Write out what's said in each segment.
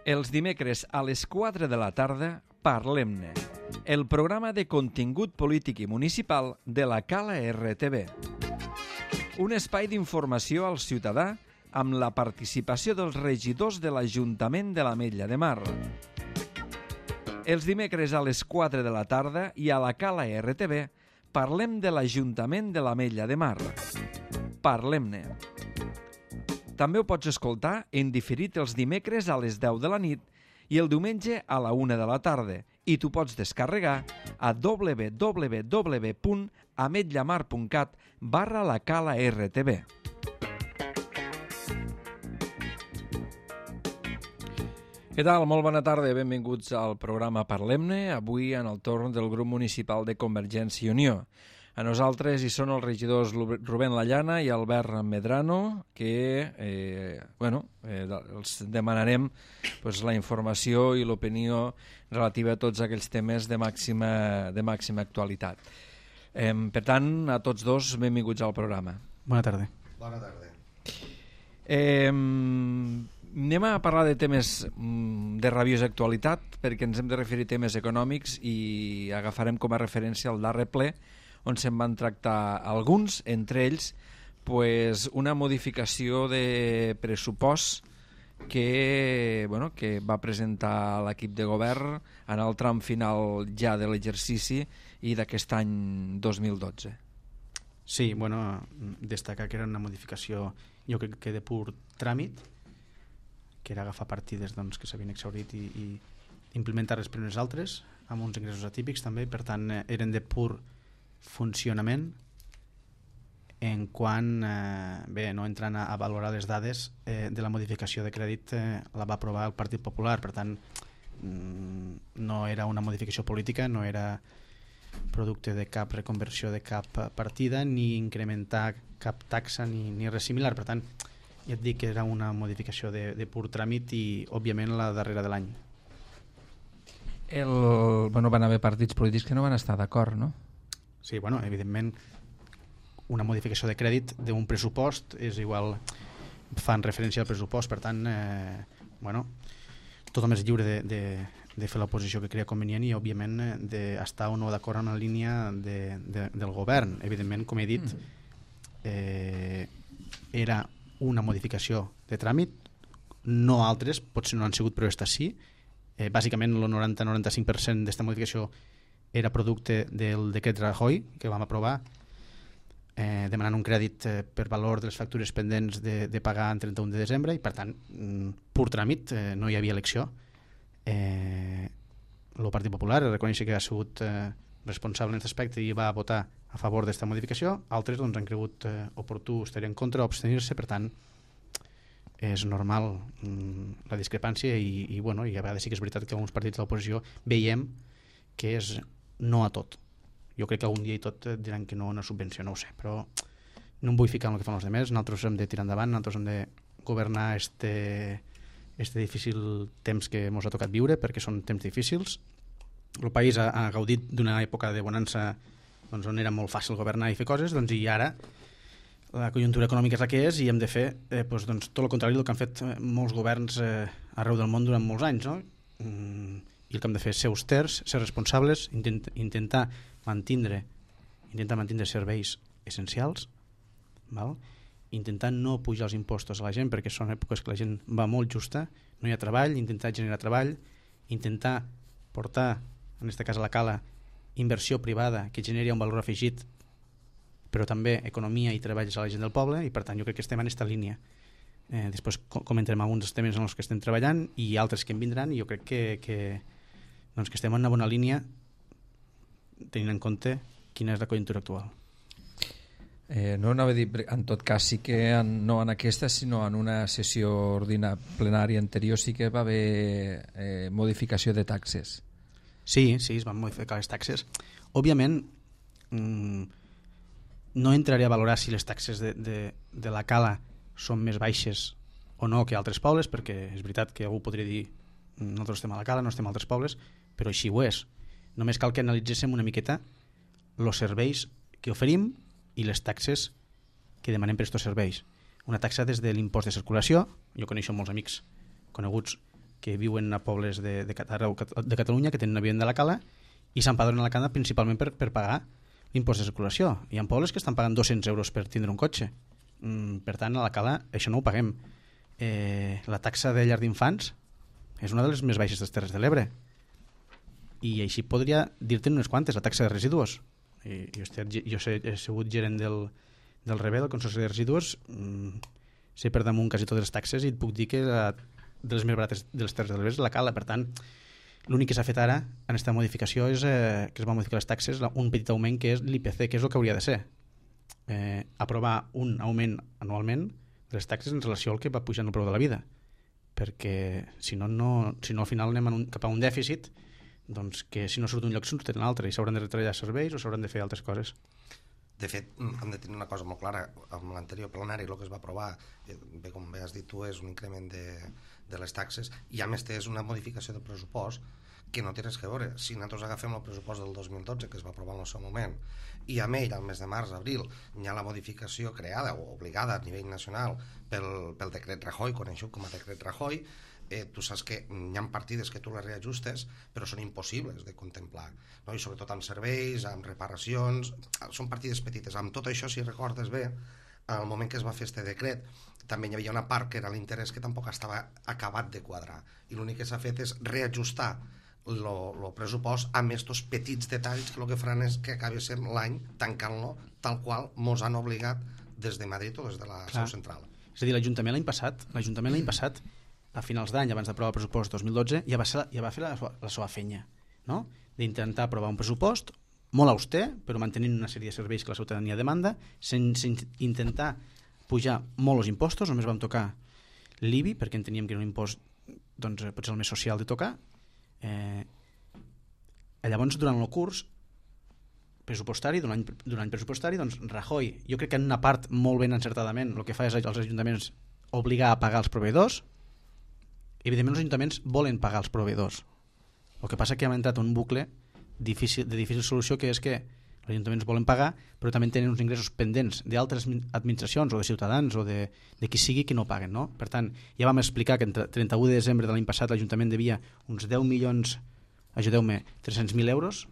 Els dimecres a les 4 de la tarda, Parlem-ne, el programa de contingut polític i municipal de la Cala RTV. Un espai d'informació al ciutadà amb la participació dels regidors de l'Ajuntament de l'Ametlla de Mar. Els dimecres a les 4 de la tarda i a la Cala RTV parlem de l'Ajuntament de l'Ametlla de Mar. Parlem-ne. També ho pots escoltar en diferit els dimecres a les 10 de la nit i el diumenge a la 1 de la tarda i t'ho pots descarregar a www.ametllamar.cat/lacala-rtv. Què tal? Molt bona tarda, benvinguts al programa Parlem-ne, avui en el torn del grup municipal de Convergència i Unió. A nosaltres hi són els regidors Rubén Lallana i Albert Medrano, que els demanarem la informació i l'opinió relativa a tots aquells temes de màxima actualitat. Per tant, a tots dos, benvinguts al programa. Bona tarda. Bona tarda. Anem a parlar de temes de rabiosa actualitat, perquè ens hem de referir a temes econòmics i agafarem com a referència el darrer ple, on se'n van tractar alguns, entre ells una modificació de pressupost que va presentar l'equip de govern en el tram final ja de l'exercici i d'aquest any 2012. Sí, destacar que era una modificació, jo crec que de pur tràmit, que era agafar partides que s'havien exhaurit i implementar-les per unes altres, amb uns ingressos atípics també, per tant eren de pur funcionament en quant no entrant a valorar les dades de la modificació de crèdit la va aprovar el Partit Popular, per tant no era una modificació política, no era producte de cap reconversió de cap partida ni incrementar cap taxa ni res similar, per tant ja et dic que era una modificació de pur tràmit i òbviament la darrera de l'any. Van haver partits polítics que no van estar d'acord, no? Sí, evidentment una modificació de crèdit d'un pressupost és igual, fan referència al pressupost, per tant tothom és lliure de fer l'oposició que crea convenient i òbviament d'estar o no d'acord en la línia del govern. Evidentment, com he dit, era una modificació de tràmit, no altres, potser no han sigut, però aquesta sí. Bàsicament el 90-95% d'esta modificació era producte del decret Rajoy que vam aprovar, demanant un crèdit per valor de les factures pendents de pagar en 31 de desembre i per tant pur tràmit, no hi havia elecció. El Partit Popular reconeix que ha sigut responsable en aquest aspecte i va votar a favor d'esta modificació, altres han cregut oportú estar en contra o abstenir-se, per tant és normal la discrepància i a vegades sí que és veritat que alguns partits de l'oposició veiem que és no a tot. Jo crec que algun dia i tot diran que no a una subvenció, no ho sé, però no em vull ficar en el que fan els altres, nosaltres hem de tirar endavant, nosaltres hem de governar este difícil temps que ens ha tocat viure, perquè són temps difícils. El país ha gaudit d'una època de bonança on era molt fàcil governar i fer coses, i ara la conjuntura econòmica és la que és i hem de fer tot el contrari del que han fet molts governs arreu del món durant molts anys, no? I el que hem de fer és ser austers, ser responsables, intentar mantindre serveis essencials, intentar no pujar els impostos a la gent perquè són èpoques que la gent va molt justa, no hi ha treball, intentar generar treball, intentar portar, en aquest cas a la Cala, inversió privada que generi un valor afegit, però també economia i treballs a la gent del poble, i per tant jo crec que estem en aquesta línia. Després comentarem alguns dels temes en els que estem treballant i altres que en vindran, i jo crec que estem en una bona línia tenint en compte quina és la conjuntura actual. No anava a dir, en tot cas sí que no en aquesta sinó en una sessió plenària anterior sí que va haver modificació de taxes. Sí, es van modificar les taxes. Òbviament no entraré a valorar si les taxes de la Cala són més baixes o no que altres pobles, perquè és veritat que algú podria dir nosaltres estem a la Cala, no estem a altres pobles, però així ho és. Només cal que analitzéssim una miqueta els serveis que oferim i les taxes que demanem per aquests serveis. Una taxa des de l'impost de circulació, jo coneixo molts amics coneguts que viuen a pobles de Catalunya, que tenen una vivenda a la cala i s'empadronen a la cala principalment per pagar l'impost de circulació. Hi ha pobles que estan pagant 200 euros per tindre un cotxe. Per tant, a la cala això no ho paguem. La taxa de llar d'infants és una de les més baixes de les Terres de l'Ebre. I així podria dir-te'n unes quantes, la taxa de residus. Jo he sigut gerent del REBE, del Consorci de Residus, sé per damunt quasi totes les taxes i et puc dir que de les més barates de les Terres de l'Ebre és la cala. Per tant, l'únic que s'ha fet ara en aquesta modificació és que es va modificar les taxes, un petit augment que és l'IPC, que és el que hauria de ser. Aprovar un augment anualment de les taxes en relació al que va pujant el preu de la vida, perquè si no al final anem cap a un dèficit, doncs que si no surt d'un lloc surt en un altre i s'hauran de retallar serveis o s'hauran de fer altres coses. De fet, hem de tenir una cosa molt clara. Amb l'anterior plenari el que es va aprovar, bé, com bé has dit tu, és un increment de les taxes i a més és una modificació del pressupost que no té res a veure. Si nosaltres agafem el pressupost del 2012 que es va aprovar en el seu moment i amb ell, al mes de març, abril, hi ha la modificació creada o obligada a nivell nacional pel decret Rajoy, conegut com a decret Rajoy, tu saps que hi ha partides que tu les reajustes però són impossibles de contemplar, no? I sobretot amb serveis, amb reparacions, són partides petites. Amb tot això, si recordes bé, al moment que es va fer este decret també hi havia una part que era l'interès que tampoc estava acabat de quadrar i l'únic que s'ha fet és reajustar el pressupost amb aquests petits detalls que el que faran és que acabi sent l'any tancant-lo tal qual mos han obligat des de Madrid o des de la seu central. És a dir, l'Ajuntament l'any passat a finals d'any, abans d'aprovar el pressupost 2012, ja va fer la seva feina, no? D'intentar aprovar un pressupost molt auster, però mantenint una sèrie de serveis que la ciutadania demanda, sense intentar pujar molt els impostos. Només vam tocar l'IBI, perquè enteníem que era un impost potser el més social de tocar. Llavors, durant el curs pressupostari, d'un any pressupostari, doncs Rajoy, jo crec que en una part molt ben encertadament, el que fa és als ajuntaments obligar a pagar els proveïdors. Evidentment els ajuntaments volen pagar els proveïdors. El que passa és que hem entrat en un bucle de difícil solució, que és que els ajuntaments volen pagar però també tenen uns ingressos pendents d'altres administracions o de ciutadans o de qui sigui que no paguen, no? Per tant, ja vam explicar que entre 31 de desembre de l'any passat l'Ajuntament devia uns 10 milions, ajudeu-me, 300.000 euros,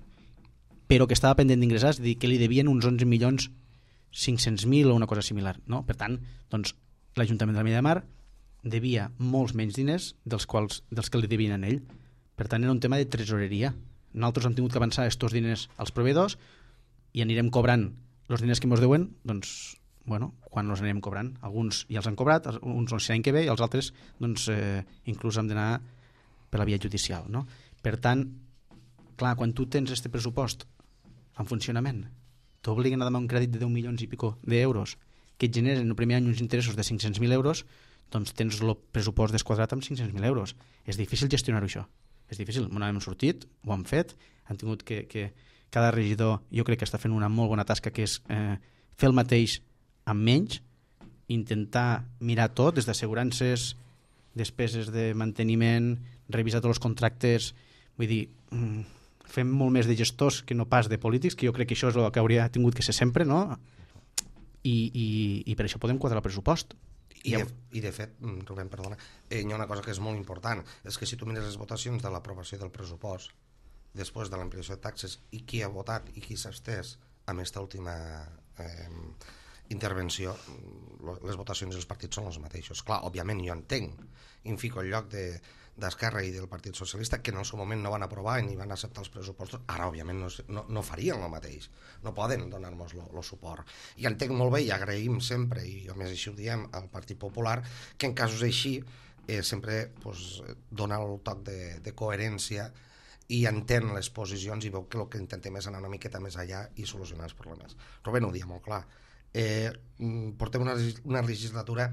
però que estava pendent d'ingressar, és a dir, que li devien uns 11 milions 500.000 o una cosa similar, no? Per tant, doncs, l'Ajuntament de la Minya de Mar devia molts menys diners dels que li devien a ell. Per tant, era un tema de tresoreria. Nosaltres hem tingut que avançar aquests diners als proveïdors i anirem cobrant els diners que ens deuen, doncs, bueno, quan els anirem cobrant. Alguns ja els han cobrat, uns l'any que ve, i els altres, doncs, inclús hem d'anar per la via judicial, no? Per tant, clar, quan tu tens aquest pressupost en funcionament, t'obliguen a demanar un crèdit de 10 milions i pico d'euros que et generen el primer any uns interessos de 500.000 euros, doncs tens el pressupost desquadrat amb 500.000 euros. És difícil gestionar-ho, això. És difícil. No hem sortit, ho hem fet, han tingut que cada regidor, jo crec que està fent una molt bona tasca, que és fer el mateix amb menys, intentar mirar tot, des d'assegurances, despeses de manteniment, revisar tots els contractes, vull dir, fem molt més de gestors que no pas de polítics, que jo crec que això és el que hauria tingut que ser sempre, no? I per això podem quadrar el pressupost. I de fet, Rubén, perdona, hi ha una cosa que és molt important, és que si tu mires les votacions de l'aprovació del pressupost després de l'ampliació de taxes i qui ha votat i qui s'ha estès amb aquesta última intervenció, les votacions dels partits són els mateixos. Clar, òbviament jo entenc i em fico al lloc d'Esquerra i del Partit Socialista, que en el seu moment no van aprovar ni van acceptar els pressupostos. Ara òbviament no farien el mateix, no poden donar-nos el suport, i entenc molt bé i agraïm sempre, i a més així ho diem al Partit Popular, que en casos així sempre dona el toc de coherència i entén les posicions i veu que el que intentem és anar una miqueta més allà i solucionar els problemes. Rubén ho dia molt clar, portem una legislatura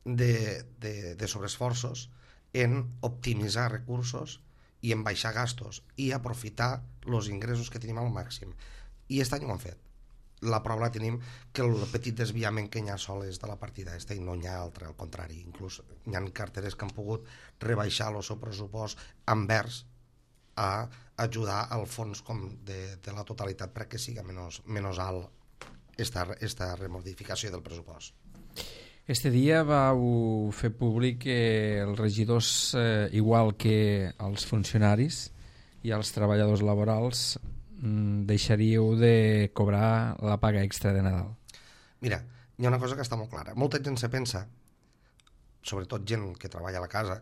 de sobreesforços en optimitzar recursos i en baixar gastos i aprofitar els ingressos que tenim al màxim. I aquest any ho hem fet. La prova la tenim que el petit desviament que hi ha sol és de la partida i no hi ha altre, al contrari. Inclús hi ha carteres que han pogut rebaixar el seu pressupost envers a ajudar al fons de la totalitat perquè sigui menys alt esta remodificació del pressupost. Este dia vau fer públic que els regidors, igual que els funcionaris i els treballadors laborals, deixaríeu de cobrar la paga extra de Nadal. Mira, hi ha una cosa que està molt clara. Molta gent se pensa, sobretot gent que treballa a la casa,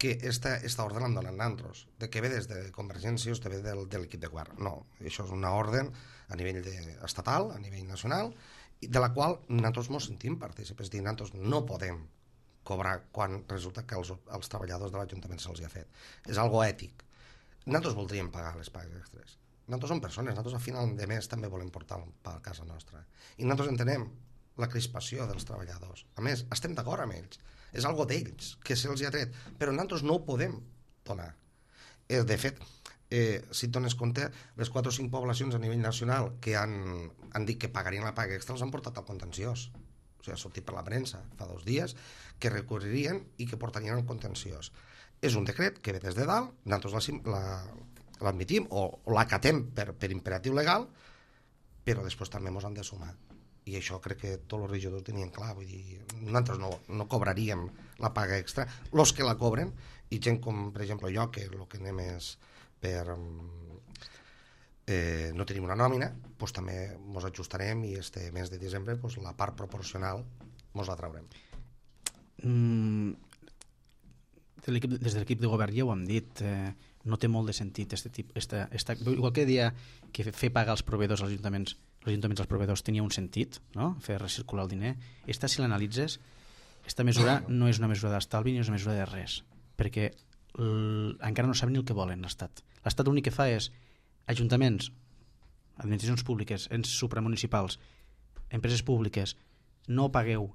que esta ordre l'han donat nantros, de que ve des de Convergència o ve de l'equip de govern. No, això és una ordre a nivell estatal, a nivell nacional, de la qual nosaltres ens sentim partícips. És a dir, nosaltres no podem cobrar quan resulta que els treballadors de l'Ajuntament se'ls ha fet. És algo ètic. Nosaltres voldríem pagar les pagues extres. Nosaltres som persones, nosaltres a final de mes també volem portar un pa a casa nostra. I nosaltres entenem la crispació dels treballadors. A més, estem d'acord amb ells. És algo d'ells, que se'ls ha tret. Però nosaltres no ho podem donar. De fet, si et dones compte, les 4 o 5 poblacions a nivell nacional que han dit que pagarien la paga extra els han portat al contenciós. O sigui, ha sortit per la premsa fa 2 dies que recorrerien i que portarien al contenciós. És un decret que ve des de dalt, nosaltres l'admitim o l'acatem per imperatiu legal, però després també ens han de sumar. I això crec que tots els regidors tenien clar. Vull dir, nosaltres no cobraríem la paga extra. Els que la cobren, i gent com, per exemple, jo, que el que anem és per... no tenim una nòmina, doncs també ens ajustarem i este mes de desembre la part proporcional ens la traurem. Des de l'equip de govern ja ho hem dit, no té molt de sentit igual que deia que fer pagar als proveïdors als ajuntaments als proveïdors tenia un sentit, no? Fer recircular el diner. Si l'analitzes, aquesta mesura no és una mesura d'estalvi ni és una mesura de res, perquè encara no saben ni el que volen l'Estat. L'Estat l'únic que fa és ajuntaments, administracions públiques, ens supramunicipals, empreses públiques, no pagueu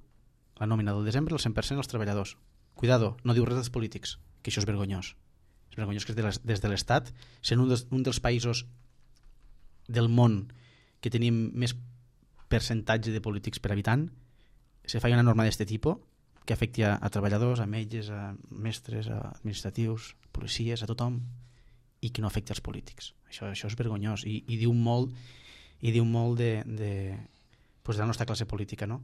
la nòmina del desembre al 100% als treballadors. Cuidado, no diu res dels polítics, que això és vergonyós. És vergonyós que des de l'Estat, sent un dels països del món que tenim més percentatge de polítics per habitant, se fa una norma d'aquest tipus que afecti a treballadors, a metges, a mestres, a administratius, policies, a tothom, i que no afecti als polítics. Això és vergonyós i diu molt de la nostra classe política, no?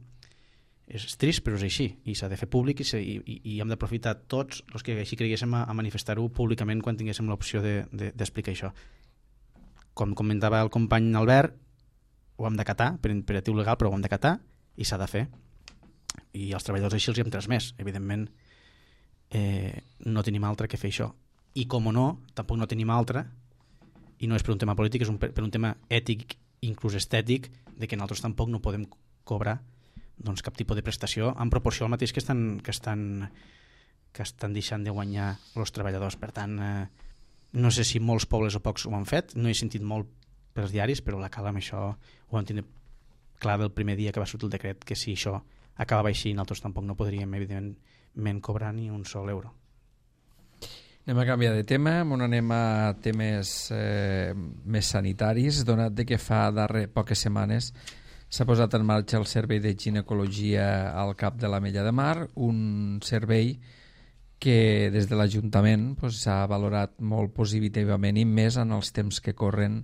És trist, però és així, i s'ha de fer públic i hem d'aprofitar tots els que així creguéssim a manifestar-ho públicament quan tinguéssim l'opció d'explicar això. Com comentava el company Albert, ho hem d'acatar per imperatiu legal, però ho hem d'acatar i s'ha de fer, i els treballadors així els hi hem transmès. Evidentment no tenim altre que fer això, i com o no, tampoc no tenim altre, i no és per un tema polític, és per un tema ètic, inclús estètic, de que nosaltres tampoc no podem cobrar cap tipus de prestació en proporció al mateix que estan deixant de guanyar els treballadors. Per tant, no sé si molts pobles o pocs ho han fet, no he sentit molt pels diaris, però la Cala amb això ho vam tenir clar del primer dia que va sortir el decret, que si això acabava així nosaltres tampoc no podríem evidentment cobrar ni un sol euro. Anem a canviar de tema, anem a temes més sanitaris, donat de que fa poques setmanes s'ha posat en marxa el servei de ginecologia al Cap de l'Ametlla de Mar, un servei que des de l'Ajuntament s'ha valorat molt positivament i més en els temps que corren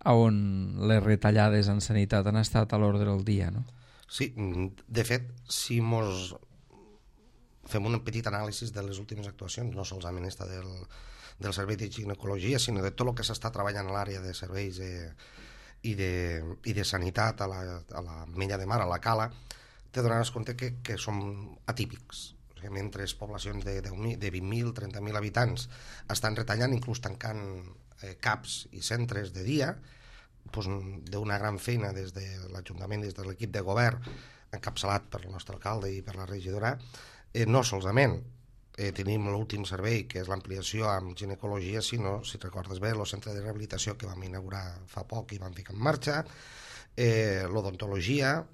on les retallades en sanitat han estat a l'ordre del dia, no? Sí, de fet, si mos fem un petit anàlisi de les últimes actuacions, no solament esta del servei de ginecologia, sinó de tot el que s'està treballant a l'àrea de serveis i de sanitat a l'Ametlla de Mar, a la Cala, te donaràs compte que som atípics. O sigui, mentre poblacions de 20.000, 30.000 habitants estan retallant, inclús tancant CAPs i centres de dia, d'una gran feina des de l'Ajuntament, des de l'equip de govern, encapçalat per el nostre alcalde i per la regidora, no solament tenim l'últim servei, que és l'ampliació amb ginecologia, sinó, si recordes bé, el centre de rehabilitació que vam inaugurar fa poc i vam ficar en marxa, l'odontologia,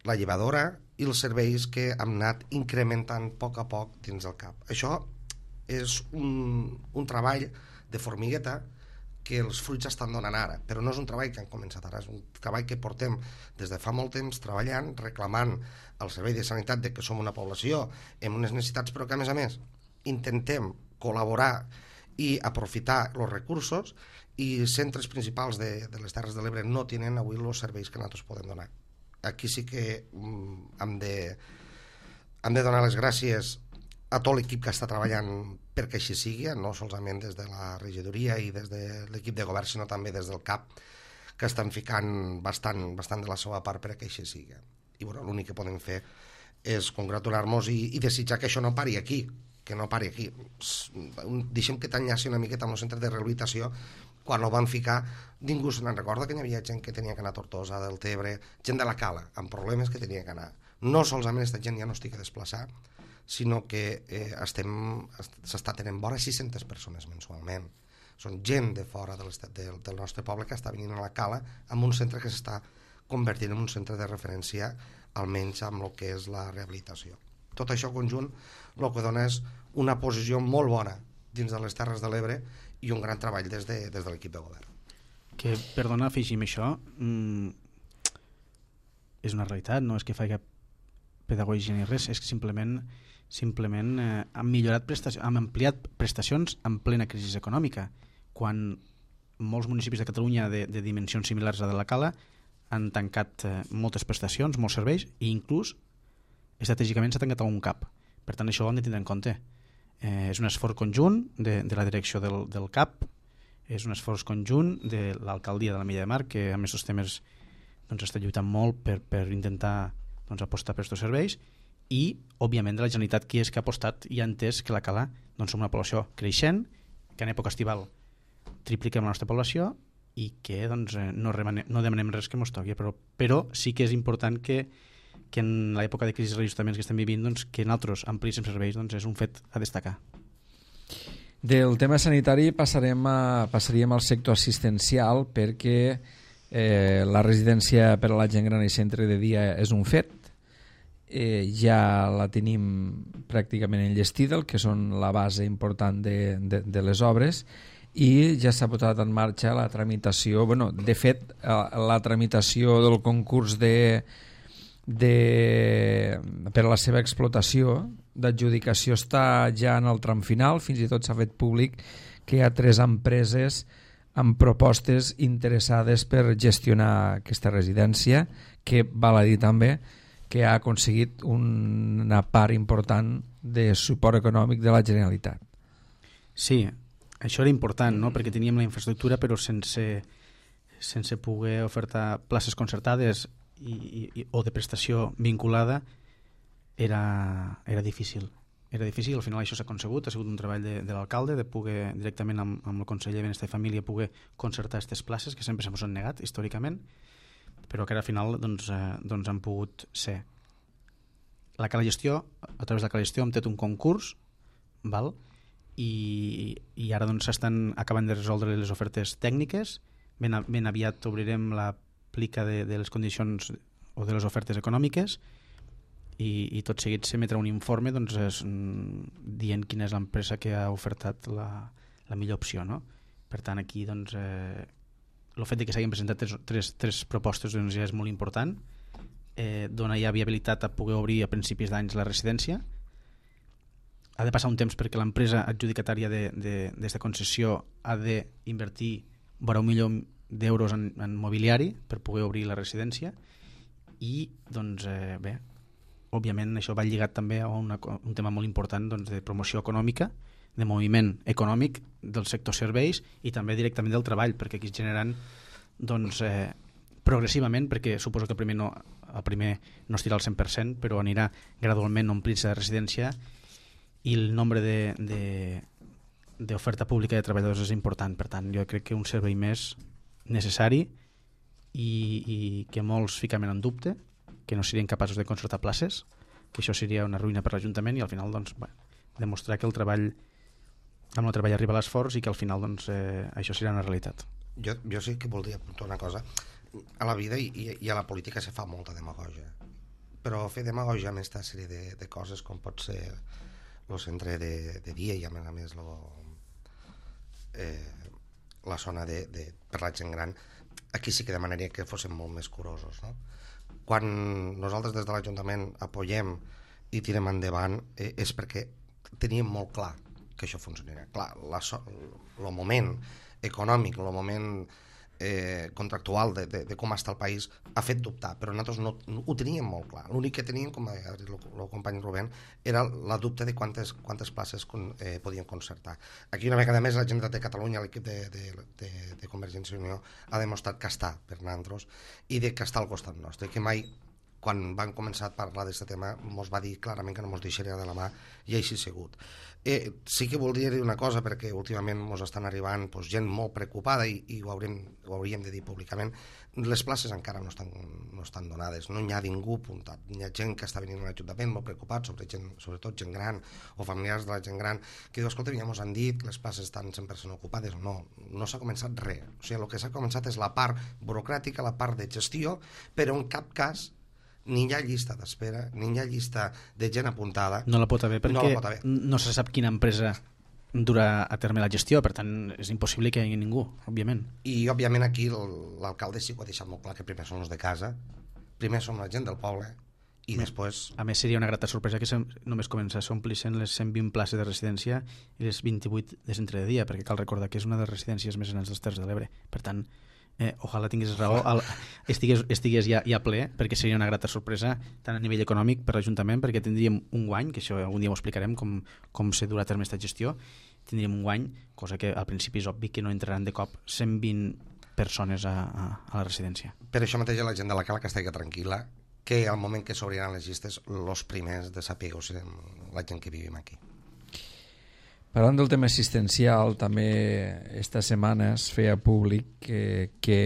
la llevadora i els serveis que hem anat incrementant a poc dins del CAP. Això és un treball de formigueta que els fruits estan donant ara, però no és un treball que han començat ara, és un treball que portem des de fa molt temps treballant, reclamant al servei de sanitat de que som una població amb unes necessitats, però que a més intentem col·laborar i aprofitar els recursos, i centres principals de les Terres de l'Ebre no tenen avui els serveis que nosaltres podem donar. Aquí sí que hem de hem de donar les gràcies a tot l'equip que està treballant perquè així sigui, no solament des de la regidoria i des de l'equip de govern, sinó també des del CAP, que estan ficant bastant de la seva part perquè així sigui. I bueno, l'únic que podem fer és congratular-nos i desitjar que això no pari aquí, que no pari aquí. Deixem que t'enllaci una miqueta amb el centre de rehabilitació. Quan ho van ficar, ningú se n'en recorda que hi havia gent que tenia que anar a Tortosa, del Tebre, gent de la Cala, amb problemes que tenia que anar. No solament aquesta gent ja no estic a desplaçar, sinó que s'està tenint vora 600 persones mensualment. Són gent de fora del nostre poble que està venint a la Cala amb un centre que s'està convertint en un centre de referència, almenys amb el que és la rehabilitació. Tot això conjunt el que dona és una posició molt bona dins de les Terres de l'Ebre i un gran treball des de l'equip de govern. Que, perdona, afegim això, és una realitat, no és que faci cap pedagogia ni res, és que simplement han millorat han ampliat prestacions en plena crisi econòmica, quan molts municipis de Catalunya de dimensions similars a de la Cala han tancat moltes prestacions, molts serveis, i inclús estratègicament s'ha tancat algun CAP. Per tant, això ho hem de tindre en compte. És un esforç conjunt de la direcció del CAP, és un esforç conjunt de l'alcaldia de l'Ametlla de Mar, que amb aquests temes està lluitant molt per intentar apostar per aquests serveis, i, òbviament, de la Generalitat, que és que ha apostat i ha entès que la Cala som una població creixent, que en època estival tripliquem la nostra població i que no demanem res que ens toqui, però sí que és important que en l'època de crisi i reajustaments que estem vivint, que nosaltres amplíssim serveis és un fet a destacar. Del tema sanitari passaríem al sector assistencial, perquè la residència per a la gent gran i centre de dia és un fet. Ja la tenim pràcticament enllestida, el que són la base important de les obres, i ja s'ha posat en marxa la tramitació. De fet, la tramitació del concurs per a la seva explotació d'adjudicació està ja en el tram final. Fins i tot s'ha fet públic que hi ha 3 empreses amb propostes interessades per gestionar aquesta residència, que val a dir també que ha aconseguit una part important de suport econòmic de la Generalitat. Sí, això era important, no? Perquè teníem la infraestructura però sense poder ofertar places concertades o de prestació vinculada era difícil. Era difícil, al final això s'ha aconsegut, ha sigut un treball de l'alcalde de poder directament amb el conseller de Benestar i Família poder concertar aquestes places que sempre se'ns han negat històricament, però que al final han pogut ser. La Cala Gestió, a través de la Cala Gestió hem fet un concurs, val? I ara s'estan acabant de resoldre les ofertes tècniques. Ben aviat obrirem la plica de les condicions o de les ofertes econòmiques i tot seguit s'emetrà un informe dient quina és l'empresa que ha ofertat la millor opció, no? Per tant, aquí el fet que s'hagin presentat tres propostes ja és molt important. Dona ja viabilitat a poder obrir a principis d'anys la residència. Ha de passar un temps perquè l'empresa adjudicatària d'esta concessió ha d'invertir vora $1 milió en mobiliari per poder obrir la residència i bé, òbviament això va lligat també a un tema molt important de promoció econòmica, de moviment econòmic del sector serveis i també directament del treball, perquè aquí es generaran progressivament, perquè suposo que el primer no estirà al 100%, però anirà gradualment omplint-se de residència i el nombre d'oferta pública de treballadors és important. Per tant, jo crec que un servei més necessari i que molts ficaven en dubte, que no serien capaços de concertar places, que això seria una ruïna per l'Ajuntament i al final demostrar que amb el treball arriba l'esforç i que al final això serà una realitat. Jo sí que voldria apuntar una cosa. A la vida i a la política se fa molta demagogia, però fer demagogia amb aquesta sèrie de coses com pot ser el centre de dia i a més la zona per la gent gran, aquí sí que demanaria que fóssim molt més curosos, no? Quan nosaltres des de l'Ajuntament apoyem i tirem endavant és perquè teníem molt clar que això funcionarà. Clar, el moment econòmic, el moment contractual de com està el país ha fet dubtar, però nosaltres no ho teníem molt clar. L'únic que teníem, com ha dit el company Rubén, era la dubte de quantes places podien concertar. Aquí una vegada més la Generalitat de Catalunya, l'equip de Convergència i Unió, ha demostrat que està per nosaltres i que està al costat nostre, que mai, quan van començar a parlar d'aquest tema, ens va dir clarament que no ens deixaria de la mà, i així ha sigut. Sí que voldria dir una cosa, perquè últimament ens estan arribant gent molt preocupada i ho hauríem de dir públicament. Les places encara no estan donades, no hi ha ningú apuntat. Hi ha gent que està venint a l'Ajuntament molt preocupat, sobretot gent gran o familiars de la gent gran, que diu, escolta, ja ens han dit que les places estan 100% ocupades. No s'ha començat res. O sigui, el que s'ha començat és la part burocràtica, la part de gestió, però en cap cas ni hi ha llista d'espera, ni hi ha llista de gent apuntada. No la pot haver perquè no se sap quina empresa durà a terme la gestió, per tant és impossible que hi hagi ningú, òbviament. I òbviament aquí l'alcalde sí que ho ha deixat molt clar, que primer són els de casa, primer som la gent del poble i després... A més seria una grata sorpresa que només comença a s'omplissent les 120 places de residència i les 28 de centre de dia, perquè cal recordar que és una de les residències més grans dels Terres de l'Ebre. Per tant, ojalà tingués raó, estigués ja ple, perquè seria una grata sorpresa tant a nivell econòmic per l'Ajuntament, perquè tindríem un guany, que això algun dia ho explicarem com se durà a terme aquesta gestió, tindríem un guany, cosa que al principi és obvi que no entraran de cop 120 persones a la residència. Per això mateix la gent de la Cala que estigui tranquil·la, que al moment que s'obriran les llistes, els primers de saber serem la gent que vivim aquí. Parlant del tema assistencial, també esta setmana es feia públic que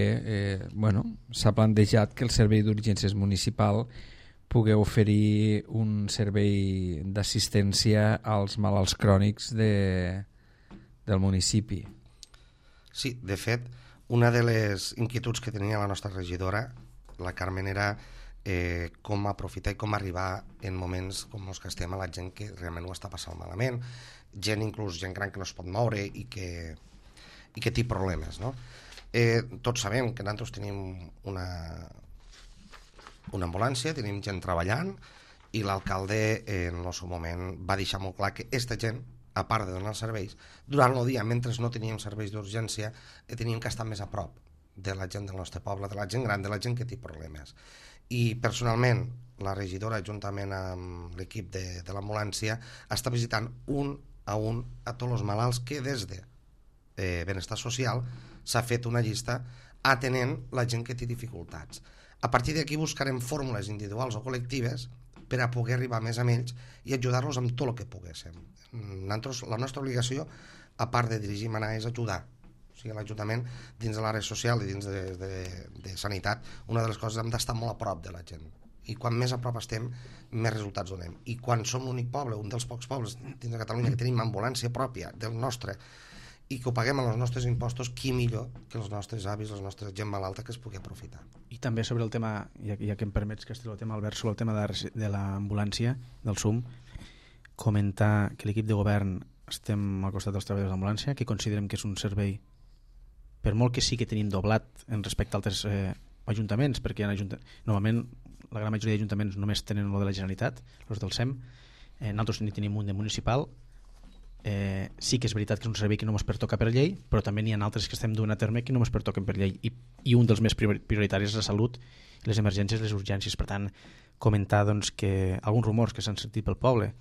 s'ha plantejat que el Servei d'Urgències Municipal pugui oferir un servei d'assistència als malalts crònics del municipi. Sí, de fet, una de les inquietuds que tenia la nostra regidora, la Carmen, era com aprofitar i com arribar en moments com els que estem a la gent que realment ho està passant malament, inclús gent gran que no es pot moure i que té problemes, no? Tots sabem que nosaltres tenim una ambulància, tenim gent treballant, i l'alcalde en el seu moment va deixar molt clar que aquesta gent, a part de donar els serveis, durant el dia, mentre no teníem serveis d'urgència, teníem que estar més a prop de la gent del nostre poble, de la gent gran, de la gent que té problemes. I personalment la regidora, juntament amb l'equip de l'ambulància, està visitant un a tots els malalts que des de Benestar Social s'ha fet una llista atenent la gent que té dificultats. A partir d'aquí buscarem fórmules individuals o col·lectives per a poder arribar més a ells i ajudar-los amb tot el que poguéssim. La nostra obligació, a part de dirigir i manar, és ajudar. O sigui, l'Ajuntament, dins de l'àrea social i dins de sanitat, una de les coses hem d'estar molt a prop de la gent. I quan més a prop estem, més resultats donem. I quan som l'únic poble, un dels pocs pobles dins de Catalunya que tenim ambulància pròpia del nostre i que ho paguem amb els nostres impostos, qui millor que els nostres avis, la nostra gent malalta que es pugui aprofitar. I també sobre el tema, ja que em permets que estigui el tema, Albert, sobre el tema de l'ambulància, del SUM, comentar que l'equip de govern estem al costat dels treballadors d'ambulància, que considerem que és un servei, per molt que sí que tenim doblat en respecte a altres ajuntaments, perquè normalment la gran majoria d'ajuntaments només tenen el de la Generalitat, els del SEM, nosaltres ni tenim un de municipal. Sí que és veritat que és un servei que no ens pertoca per llei, però també n'hi ha altres que estem duent a terme que no ens pertoquen per llei, i un dels més prioritaris és la salut, les emergències, les urgències. Per tant, comentar que alguns rumors que s'han sentit pel poble,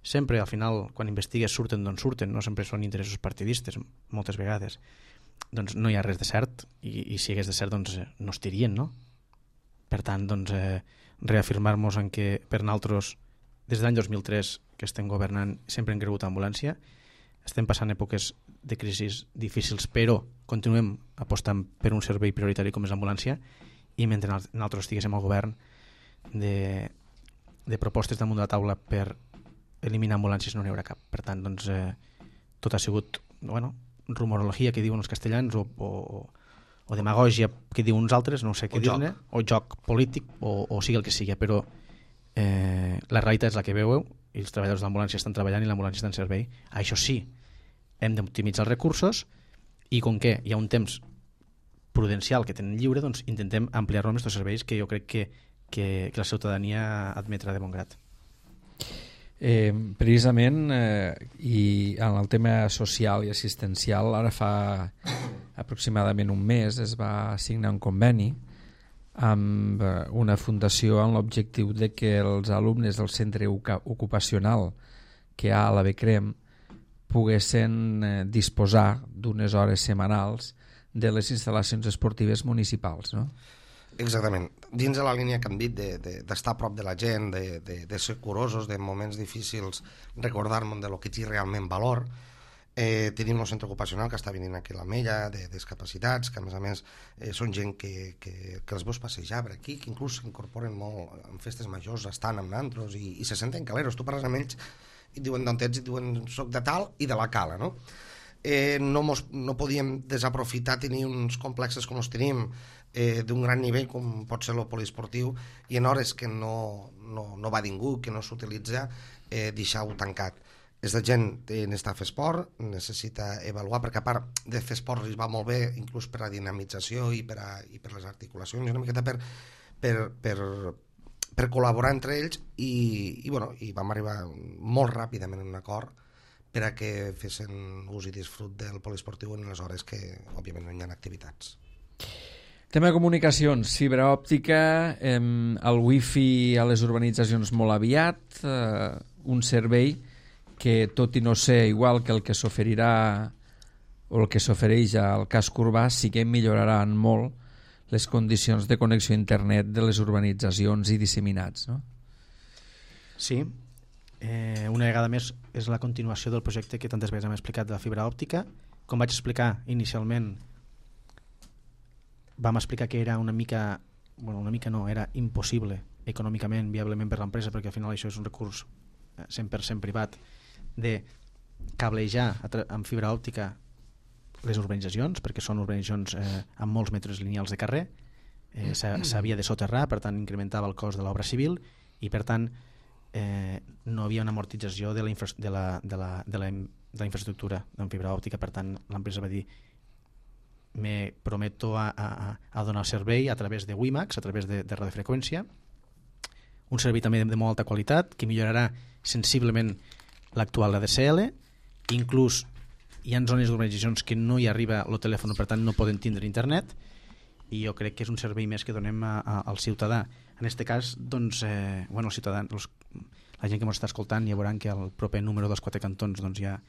sempre al final quan investigues surten d'on surten, no sempre són interessos partidistes moltes vegades, doncs no hi ha res de cert, i si hi hagués de cert doncs no es tirien, no? Per tant, doncs reafirmar-nos en que per nosaltres des de l'any 2003 que estem governant sempre hem cregut en ambulància, estem passant èpoques de crisis difícils, però continuem apostant per un servei prioritari com és l'ambulància, i mentre nosaltres estiguéssim al govern de propostes damunt de la taula per eliminar ambulàncies no n'hi haurà cap. Per tant, doncs tot ha sigut rumorologia que diuen els castellans o demagògia que diuen uns altres, no sé què dir-ne, o joc polític o sigui el que sigui, però la realitat és la que veieu i els treballadors d'ambulància estan treballant i l'ambulància està en servei. Això sí, hem d'optimitzar els recursos i com que hi ha un temps prudencial que tenen lliure, doncs intentem ampliar-lo amb aquests serveis que jo crec que la ciutadania admetrà de bon grat. Precisament i en el tema social i assistencial ara fa aproximadament un mes es va signar un conveni amb una fundació amb l'objectiu de que els alumnes del centre ocupacional que hi ha a la Becrem poguessin disposar d'unes hores setmanals de les instal·lacions esportives municipals, no? Exactament. Dins de la línia que hem dit d'estar a prop de la gent, de ser curosos, de moments difícils, recordar-nos de lo que té realment valor. Tenim el centre ocupacional que està venint aquí a l'Ametlla, de discapacitats, que a més són gent que els veus passejar per aquí, que inclús s'incorporen molt en festes majors, estan amb nantros i se senten caleros. Tu parles amb ells i diuen d'on ets, i diuen soc de tal i de la Cala, no? No podíem desaprofitar tenir uns complexes com els tenim, d'un gran nivell com pot ser el poliesportiu, i en hores que no va ningú, que no s'utilitza, deixar-ho tancat. Aquesta gent necessita fer esport, necessita avaluar, perquè a part de fer esport li va molt bé, inclús per la dinamització i per les articulacions, una miqueta per col·laborar entre ells, i vam arribar molt ràpidament a un acord per a que fessin ús i disfrut del poliesportiu en les hores que, òbviament, no hi ha activitats. Tema de comunicacions, fibra òptica, el wifi a les urbanitzacions molt aviat, un servei que, tot i no ser igual que el que s'oferirà o el que s'ofereix al casc urbà, sí que milloraran molt les condicions de connexió a internet de les urbanitzacions i disseminats, no? Sí, una vegada més és la continuació del projecte que tantes vegades hem explicat de la fibra òptica. Com vaig explicar inicialment, vam explicar que era era impossible econòmicament, viablement per l'empresa, perquè al final això és un recurs 100% privat, de cablejar amb fibra òptica les urbanitzacions, perquè són urbanitzacions amb molts metres lineals de carrer, s'havia de soterrar, per tant incrementava el cost de l'obra civil i per tant no havia una amortització de la infraestructura en fibra òptica. Per tant l'empresa va dir: me prometo a donar servei a través de WiMAX, a través de radiofreqüència, un servei també de molt alta qualitat que millorarà sensiblement l'actual ADSL. Inclús hi ha zones d'urbanitzacions que no hi arriba el telèfon, per tant no poden tindre internet, i jo crec que és un servei més que donem al ciutadà. En aquest cas, doncs, el ciutadà, la gent que ens està escoltant ja veuran que al proper número dels Quatre Cantons doncs, ja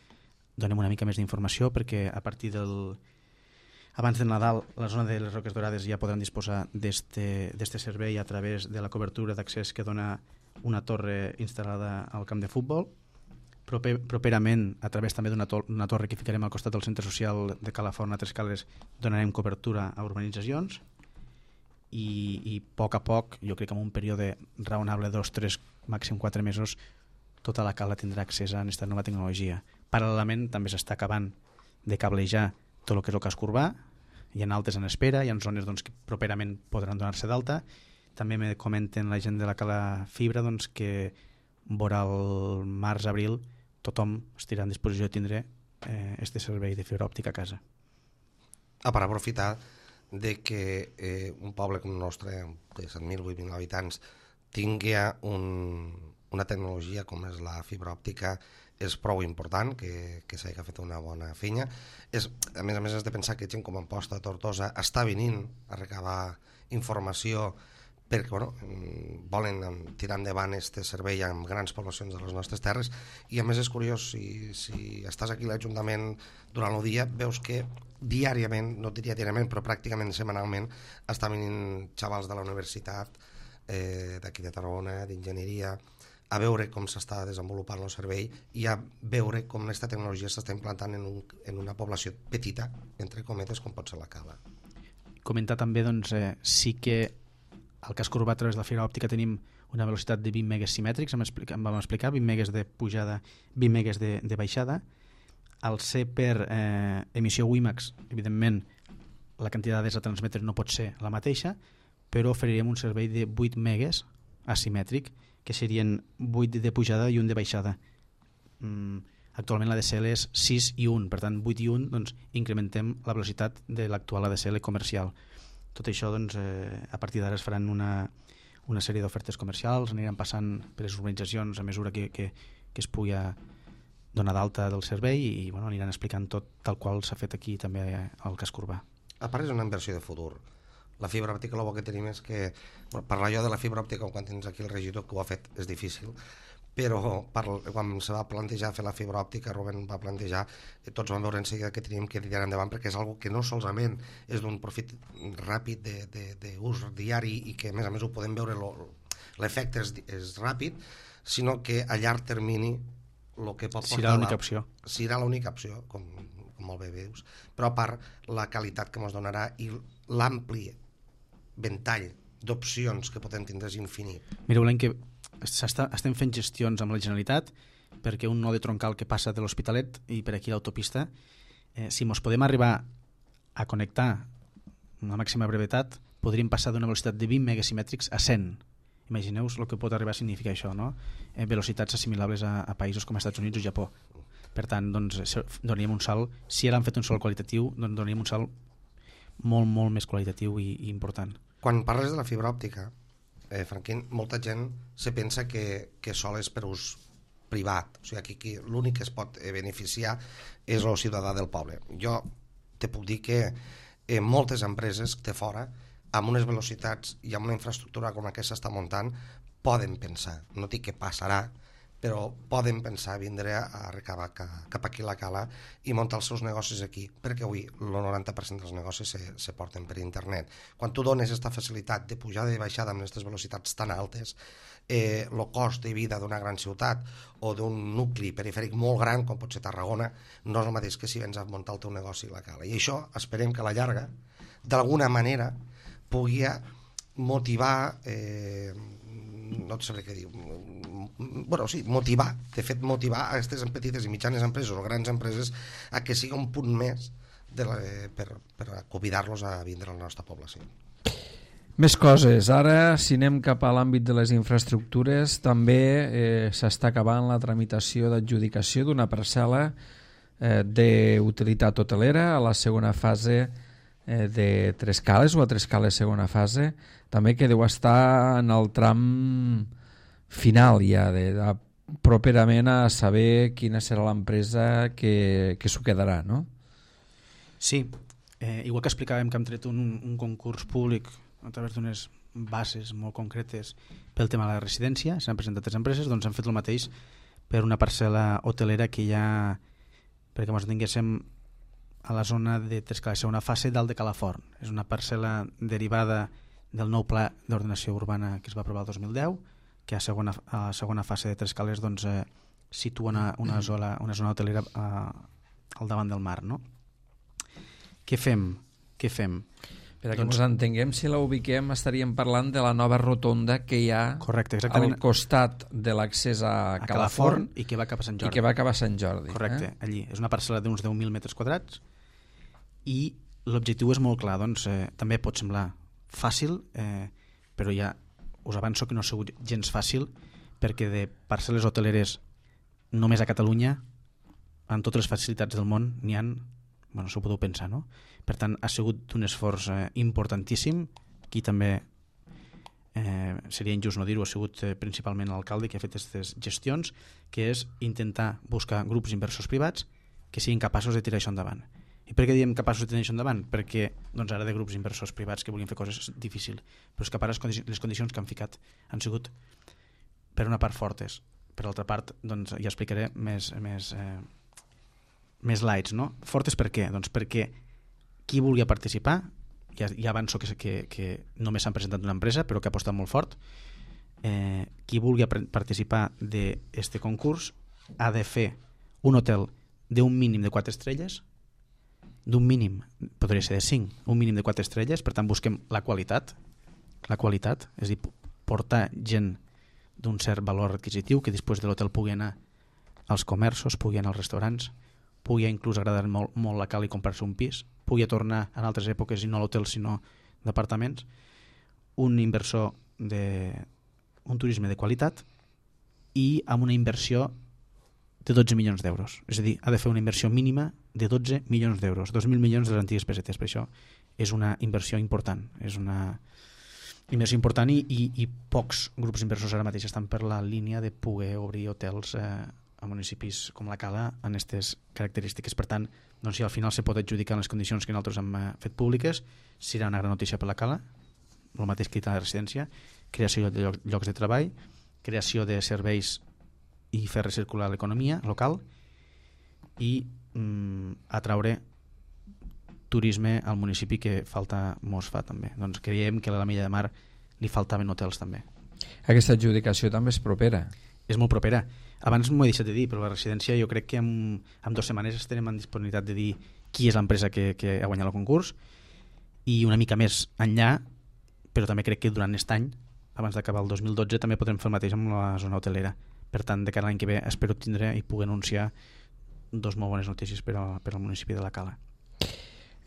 donem una mica més d'informació, perquè a partir abans del Nadal, la zona de les Roques Dorades ja podran disposar d'este servei a través de la cobertura d'accés que dona una torre instal·lada al camp de futbol. Properament, a través també d'una torre que ficarem al costat del centre social de Calafort, a Tres Cales, donarem cobertura a urbanitzacions, i a poc, jo crec que en un període raonable, 2, 3, màxim 4 mesos, tota la Cala tindrà accés a aquesta nova tecnologia. Paral·lelament també s'està acabant de cablejar tot el que és el casc urbà, hi ha altes en espera, hi ha zones doncs, que properament podran donar-se d'alta. També me comenten la gent de la Cala Fibra doncs, que vora el març-abril tothom estirà en disposició de tindre este servei de fibra òptica a casa. Per aprofitar de que un poble com el nostre, de 7.000, 8.000 habitants, tingui una tecnologia com és la fibra òptica, és prou important que s'hagi fet una bona feina. A més, has de pensar que gent com Amposta, Tortosa, està venint a recabar informació perquè volen tirar endavant aquest servei amb grans poblacions de les nostres terres. I a més és curiós, si estàs aquí a l'Ajuntament durant el dia, veus que diàriament, no diria diàriament, però pràcticament setmanalment, està venint xavals de la universitat d'aquí de Tarragona, d'enginyeria, a veure com s'està desenvolupant el servei i a veure com aquesta tecnologia s'està implantant en una població petita, entre cometes, com pot ser la Cala. Comentar també, doncs, sí que al casc urbà a través de la fibra òptica tenim una velocitat de 20 megues simètrics, em vam explicar, 20 megues de pujada, 20 megues de baixada. Al ser per emissió WiMAX, evidentment, la quantitat de dades a transmetre no pot ser la mateixa, però oferirem un servei de 8 megues asimètric, que serien 8 de pujada i 1 de baixada. Actualment l'ADSL és 6 i 1, per tant 8 i 1 doncs, incrementem la velocitat de l'actual ADSL comercial. Tot això doncs, a partir d'ara es faran una sèrie d'ofertes comercials, aniran passant per les urbanitzacions a mesura que es pugui donar d'alta del servei i bueno, aniran explicant tot tal qual s'ha fet aquí també al casc urbà. A part és una inversió de futur. La fibra òptica, el bo que tenim és que parlar jo de la fibra òptica quan tens aquí el regidor que ho ha fet és difícil, però quan se va plantejar fer la fibra òptica, Rubén va plantejar, tots vam veure en seguida que teníem que tirar endavant perquè és algo que no solament és d'un profit ràpid d'ús diari i que a més ho podem veure, l'efecte és ràpid, sinó que a llarg termini el que pot portar... Serà l'única opció. Serà l'única opció, com molt bé dius, però a part la qualitat que ens donarà i l'ampli ventall d'opcions que podem tindre és infinit. Mireu, l'any que estem fent gestions amb la Generalitat perquè un node troncal que passa de l'Hospitalet i per aquí l'autopista, si mos podem arribar a connectar amb la màxima brevetat, podríem passar d'una velocitat de 20 megasimètrics a 100. Imagineu-vos el que pot arribar a significar això, no? Velocitats assimilables a països com els Estats Units o Japó. Per tant, doncs, donaríem un salt, si ara han fet un salt qualitatiu, doncs donaríem un salt molt, molt més qualitatiu i important. Quan parles de la fibra òptica, Franquín, molta gent se pensa que sol és per ús privat, o sigui, aquí l'únic que es pot beneficiar és el ciutadà del poble. Jo te puc dir que moltes empreses de fora, amb unes velocitats i amb una infraestructura com aquesta s'està muntant, poden pensar, no dic que passarà, però poden pensar vindre a recabar cap aquí a la Cala i muntar els seus negocis aquí, perquè avui el 90% dels negocis se porten per internet. Quan tu dones aquesta facilitat de pujada i baixada amb aquestes velocitats tan altes, el cost de vida d'una gran ciutat o d'un nucli perifèric molt gran com pot ser Tarragona no és el mateix que si vens a muntar el teu negoci a la Cala. I això esperem que a la llarga d'alguna manera pugui motivar no sabré què dir, motivar, de fet motivar a aquestes petites i mitjanes empreses o grans empreses a que sigui un punt més per convidar-los a vindre a la nostra població. Més coses. Ara, si anem cap a l'àmbit de les infraestructures, també s'està acabant la tramitació d'adjudicació d'una parcel·la d'utilitat hotelera a la segona fase de Tres Cales o a Tres Cales segona fase, també que deu estar en el tram final ja, properament a saber quina serà l'empresa que s'ho quedarà, no? Sí, igual que explicàvem que hem tret un concurs públic a través d'unes bases molt concretes pel tema de la residència, s'han presentat 3 empreses, doncs han fet el mateix per una parcel·la hotelera que ja, perquè ens tinguéssim a la zona de Tres Cales, una fase dalt de Calaforn. És una parcel·la derivada del nou pla d'ordenació urbana que es va aprovar el 2010, que a la segona fase de Tres Cales doncs, situa una zona hotelera al davant del mar. No? Què fem? Per que ens entenguem, si la ubiquem estaríem parlant de la nova rotonda que hi ha al costat de l'accés a Calaforn i que va cap a Sant Jordi. I que va cap a Sant Jordi. Correcte, allí. És una parcel·la d'uns 10.000 metres quadrats i l'objectiu és molt clar. Doncs, també pot semblar fàcil, però ja us avanço que no ha sigut gens fàcil perquè de parcel·les hoteleres només a Catalunya, amb totes les facilitats del món, n'hi ha, bueno, s'ho podeu pensar, no? Per tant, ha sigut un esforç importantíssim. Aquí també seria injust no dir-ho, ha sigut principalment l'alcalde que ha fet aquestes gestions, que és intentar buscar grups inversors privats que siguin capaços de tirar això endavant. I per què diem capaços de tirar això endavant? Perquè doncs, ara de grups inversors privats que volien fer coses difícils, però és que les condicions que han ficat han sigut per una part fortes, per l'altra part doncs, ja explicaré més lights, no? Fortes per què? Doncs perquè qui vulgui participar, ja avanço que només s'han presentat una empresa però que ha apostat molt fort, qui vulgui participar d'aquest concurs ha de fer un hotel d'un mínim de 4 estrelles, d'un mínim, podria ser de 5, un mínim de 4 estrelles, per tant busquem la qualitat, és a dir, portar gent d'un cert valor adquisitiu que després de l'hotel pugui anar als comerços, pugui anar als restaurants, pugui inclús agradar molt la Cala i comprar-se un pis, pugui tornar en altres èpoques i no a l'hotel sinó d'apartaments, un inversor un turisme de qualitat i amb una inversió de 12 milions d'euros. És a dir, ha de fer una inversió mínima de 12 milions d'euros, 2.000 milions de les antigues pessetes. Per això és una inversió important. És una inversió important i pocs grups inversors ara mateix estan per la línia de poder obrir hotels a municipis com la Cala en aquestes característiques. Per tant, doncs, si al final se pot adjudicar en les condicions que nosaltres hem fet públiques, serà una gran notícia per la Cala, el mateix que la residència, creació de llocs de treball, creació de serveis i fer recircular l'economia local i atraure turisme al municipi, que falta mos fa també. Doncs creiem que a la Milla de Mar li faltaven hotels també. Aquesta adjudicació també és propera. És molt propera. Abans m'ho he deixat de dir, però la residència jo crec que en 2 setmanes estarem en disponibilitat de dir qui és l'empresa que ha guanyat el concurs, i una mica més enllà, però també crec que durant aquest any, abans d'acabar el 2012, també podrem fer el mateix amb la zona hotelera. Per tant, de cara a l'any que ve espero tindre i poder anunciar 2 molt bones notícies per al municipi de la Cala.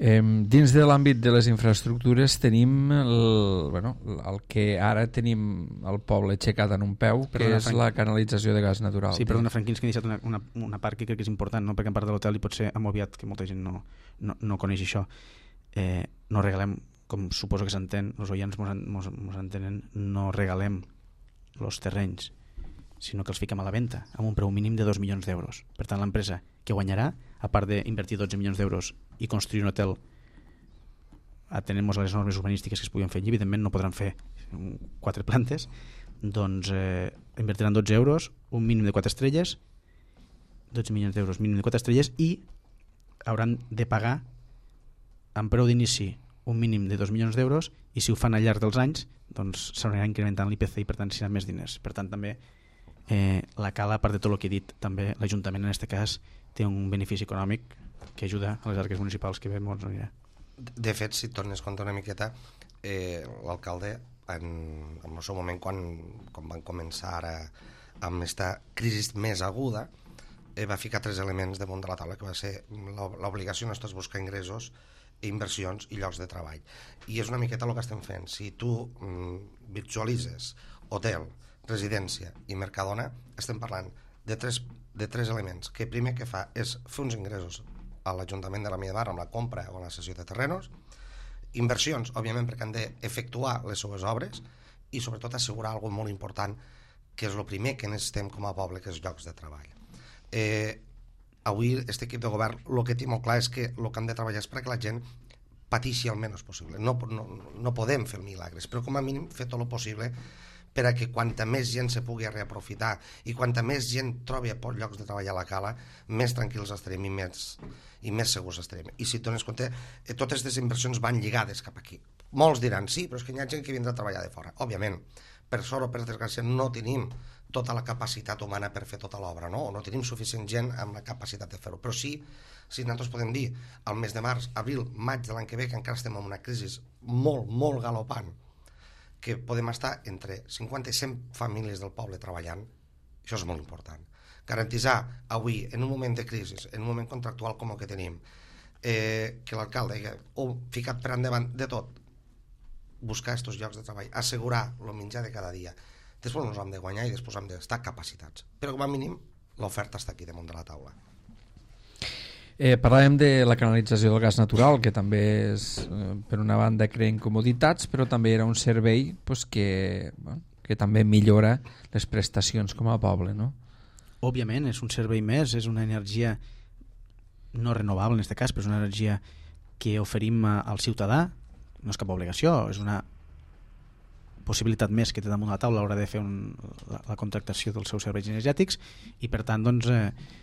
Dins de l'àmbit de les infraestructures tenim el que ara tenim al poble aixecat en un peu, que és la canalització de gas natural. Sí, perdona, Franquins, que he deixat una part que crec que és important, no? Perquè en part de l'hotel i potser hem obviat que molta gent no coneix això. No regalem, com suposo que s'entén, els oients mos entenen, no regalem els terrenys, sinó que els fiquem a la venda amb un preu mínim de 2 milions d'euros. Per tant, l'empresa que guanyarà, a part d'invertir 12 milions d'euros i construir un hotel atenent-nos a les normes urbanístiques que es puguin fer allí, evidentment no podran fer 4 plantes, doncs invertiran 12 euros, un mínim de 4 estrelles, 12 milions d'euros, mínim de 4 estrelles, i hauran de pagar amb preu d'inici un mínim de 2 milions d'euros, i si ho fan al llarg dels anys doncs s'haurà incrementant l'IPC i per tant seran més diners. Per tant, també la Cala, a part de tot el que he dit, també l'Ajuntament en aquest cas té un benefici econòmic que ajuda a les arques municipals, que bé molts anirà. De fet, si tornes a comptar una miqueta, l'alcalde en el seu moment, quan van començar ara amb aquesta crisi més aguda, va ficar 3 elements damunt de la taula, que va ser l'obligació nostra és buscar ingressos, inversions i llocs de treball. I és una miqueta el que estem fent. Si tu visualitzes hotel, residència i Mercadona, estem parlant de tres elements, que primer que fa és fer uns ingressos a l'Ajuntament de la Milla de Mar amb la compra o la cessió de terrenos, inversions, òbviament, perquè han d'efectuar les seues obres, i sobretot assegurar alguna molt important, que és el primer que necessitem com a poble, que és llocs de treball. Avui, aquest equip de govern, el que té molt clar és que el que han de treballar és perquè la gent pateixi el menys possible. No podem fer milagres, però com a mínim fer tot el possible per a que quanta més gent se pugui reaprofitar i quanta més gent trobi llocs de treball a la Cala, més tranquils estarem i més segurs estarem. I si dones compte, totes aquestes inversions van lligades cap aquí. Molts diran, sí, però és que hi ha gent que vindrà a treballar de fora. Òbviament, per sort o per desgràcia, no tenim tota la capacitat humana per fer tota l'obra, no tenim suficient gent amb la capacitat de fer-ho, però sí, si nosaltres podem dir al mes de març, abril, maig de l'any que ve, que encara estem en una crisi molt, molt galopant, que podem estar entre 50 i 100 famílies del poble treballant, això és molt important. Garantitzar avui, en un moment de crisi, en un moment contractual com el que tenim, que l'alcalde ha ficat per endavant de tot, buscar aquests llocs de treball, assegurar el menjar de cada dia. Després ens hem de guanyar i després hem d'estar capacitats. Però com a mínim l'oferta està aquí damunt de la taula. Parlàvem de la canalització del gas natural, que també és, per una banda, creen comoditats, però també era un servei que també millora les prestacions com a poble, no? Òbviament, és un servei més, és una energia no renovable en aquest cas, però és una energia que oferim al ciutadà, no és cap obligació, és una possibilitat més que té damunt la taula a l'hora de fer la contractació dels seus serveis energètics, i per tant doncs,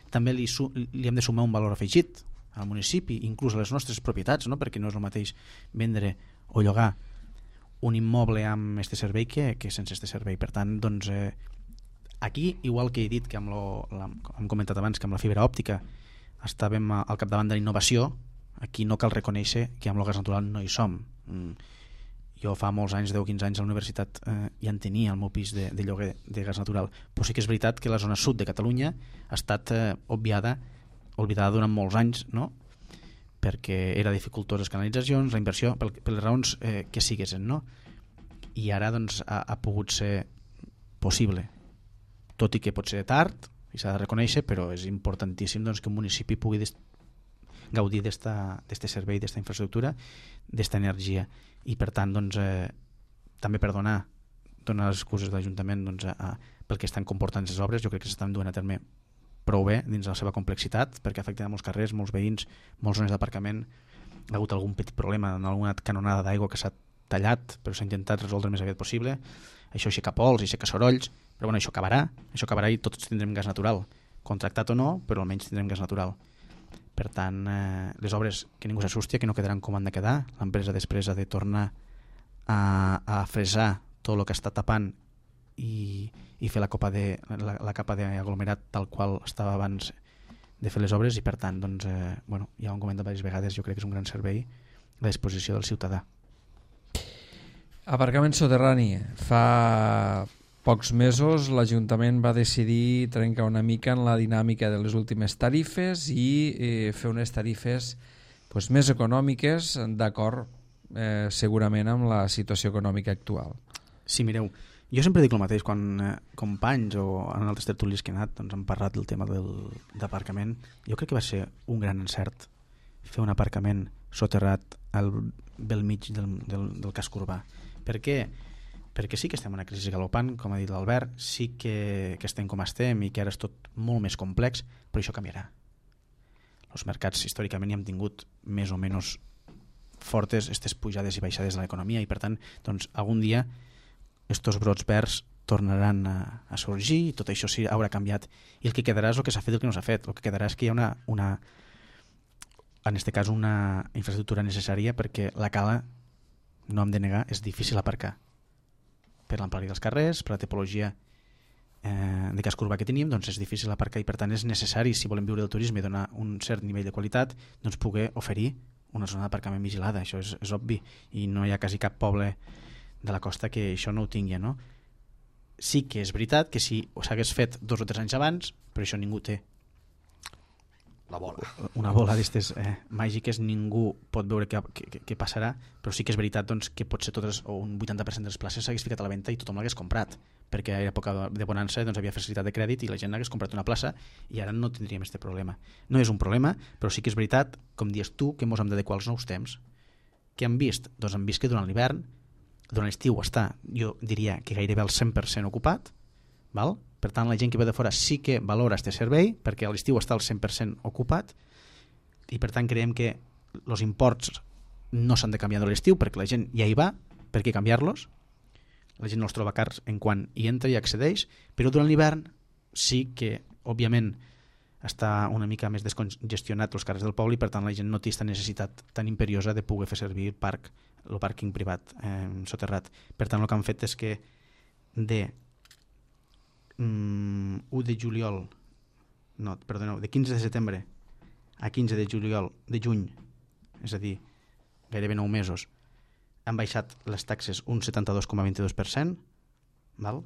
també li hem de sumar un valor afegit al municipi, inclús a les nostres propietats, no? Perquè no és el mateix vendre o llogar un immoble amb este servei que sense este servei. Per tant, doncs, aquí, igual que he dit que hem comentat abans que amb la fibra òptica estàvem al capdavant de la innovació, aquí no cal reconèixer que amb el gas natural no hi som. Jo fa molts anys, 10 o 15 anys a la universitat ja en tenia el meu pis de lloguer de gas natural, però sí que és veritat que la zona sud de Catalunya ha estat oblidada durant molts anys, no? Perquè era dificultós les canalitzacions, la inversió, per les raons que siguessin, no? I ara doncs ha pogut ser possible, tot i que pot ser tard i s'ha de reconèixer, però és importantíssim doncs, que un municipi pugui gaudir d'este servei, d'esta infraestructura, d'esta energia. I per tant doncs, també per donar les excuses de l'Ajuntament doncs, pel que estan comportant les obres, jo crec que s'estan duent a terme prou bé dins la seva complexitat, perquè afecta molts carrers, molts veïns, moltes zones d'aparcament. Hi ha hagut algun petit problema en alguna canonada d'aigua que s'ha tallat, però s'ha intentat resoldre el més aviat possible. Això aixeca pols, aixeca sorolls, però bueno, això acabarà i tots tindrem gas natural, contractat o no, però almenys tindrem gas natural. Per tant, les obres, que ningú s'assusti, que no quedaran com han de quedar. L'empresa després ha de tornar a fresar tot el que està tapant i fer la capa d'aglomerat tal qual estava abans de fer les obres, i per tant, doncs, ja ho hem comentat diverses vegades, jo crec que és un gran servei a la disposició del ciutadà. Aparcament soterrani. Fa pocs mesos l'Ajuntament va decidir trencar una mica en la dinàmica de les últimes tarifes i fer unes tarifes més econòmiques, d'acord segurament amb la situació econòmica actual. Sí, mireu, jo sempre dic el mateix, quan companys o en altres tertulis que he anat han parlat del tema d'aparcament. Jo crec que va ser un gran encert fer un aparcament soterrat al bell mig del casc urbà. Per què? Perquè sí que estem en una crisi galopant, com ha dit l'Albert, sí que estem com estem i que ara és tot molt més complex, però això canviarà. Els mercats històricament hi hem tingut més o menys fortes aquestes pujades i baixades de l'economia, i per tant, doncs, algun dia estos brots verds tornaran a sorgir i tot això sí haurà canviat, i el que quedarà és el que s'ha fet i el que no s'ha fet. El que quedarà és que hi ha en aquest cas una infraestructura necessària, perquè la cala, no hem de negar, és difícil aparcar per l'amplària dels carrers, per la tipologia de casc urbà que tenim, doncs és difícil aparcar, i per tant és necessari, si volem viure del turisme i donar un cert nivell de qualitat, doncs poder oferir una zona d'aparcament vigilada. Això és obvi, i no hi ha quasi cap poble de la costa que això no ho tingui, no? Sí que és veritat que si s'hagués fet 2 o 3 anys abans, però això ningú té la bola. Una bola d'aquestes màgiques, ningú pot veure què passarà, però sí que és veritat, doncs, que potser totes o un 80% de les places s'hagués ficat a la venda i tothom l'hagués comprat, perquè a l'època de bonança doncs, havia facilitat de crèdit i la gent hagués comprat una plaça, i ara no tindríem aquest problema. No és un problema, però sí que és veritat, com dius tu, que ens hem d'adequar als nous temps. Què hem vist? Doncs hem vist que durant l'hivern, durant l'estiu està, jo diria que gairebé el 100% ocupat, val? Per tant, la gent que ve de fora sí que valora aquest servei, perquè a l'estiu està al 100% ocupat, i per tant creiem que els imports no s'han de canviar de l'estiu, perquè la gent ja hi va, per què canviar-los? La gent no els troba cars en quan hi entra i accedeix, però durant l'hivern sí que, òbviament, està una mica més descongestionat els carrers del poble, i per tant la gent no té aquesta necessitat tan imperiosa de poder fer servir el pàrquing privat soterrat. Per tant, el que han fet és que de 1 de juliol, de 15 de setembre a 15 de juny, és a dir, gairebé 9 mesos, han baixat les taxes un 72,22%, val?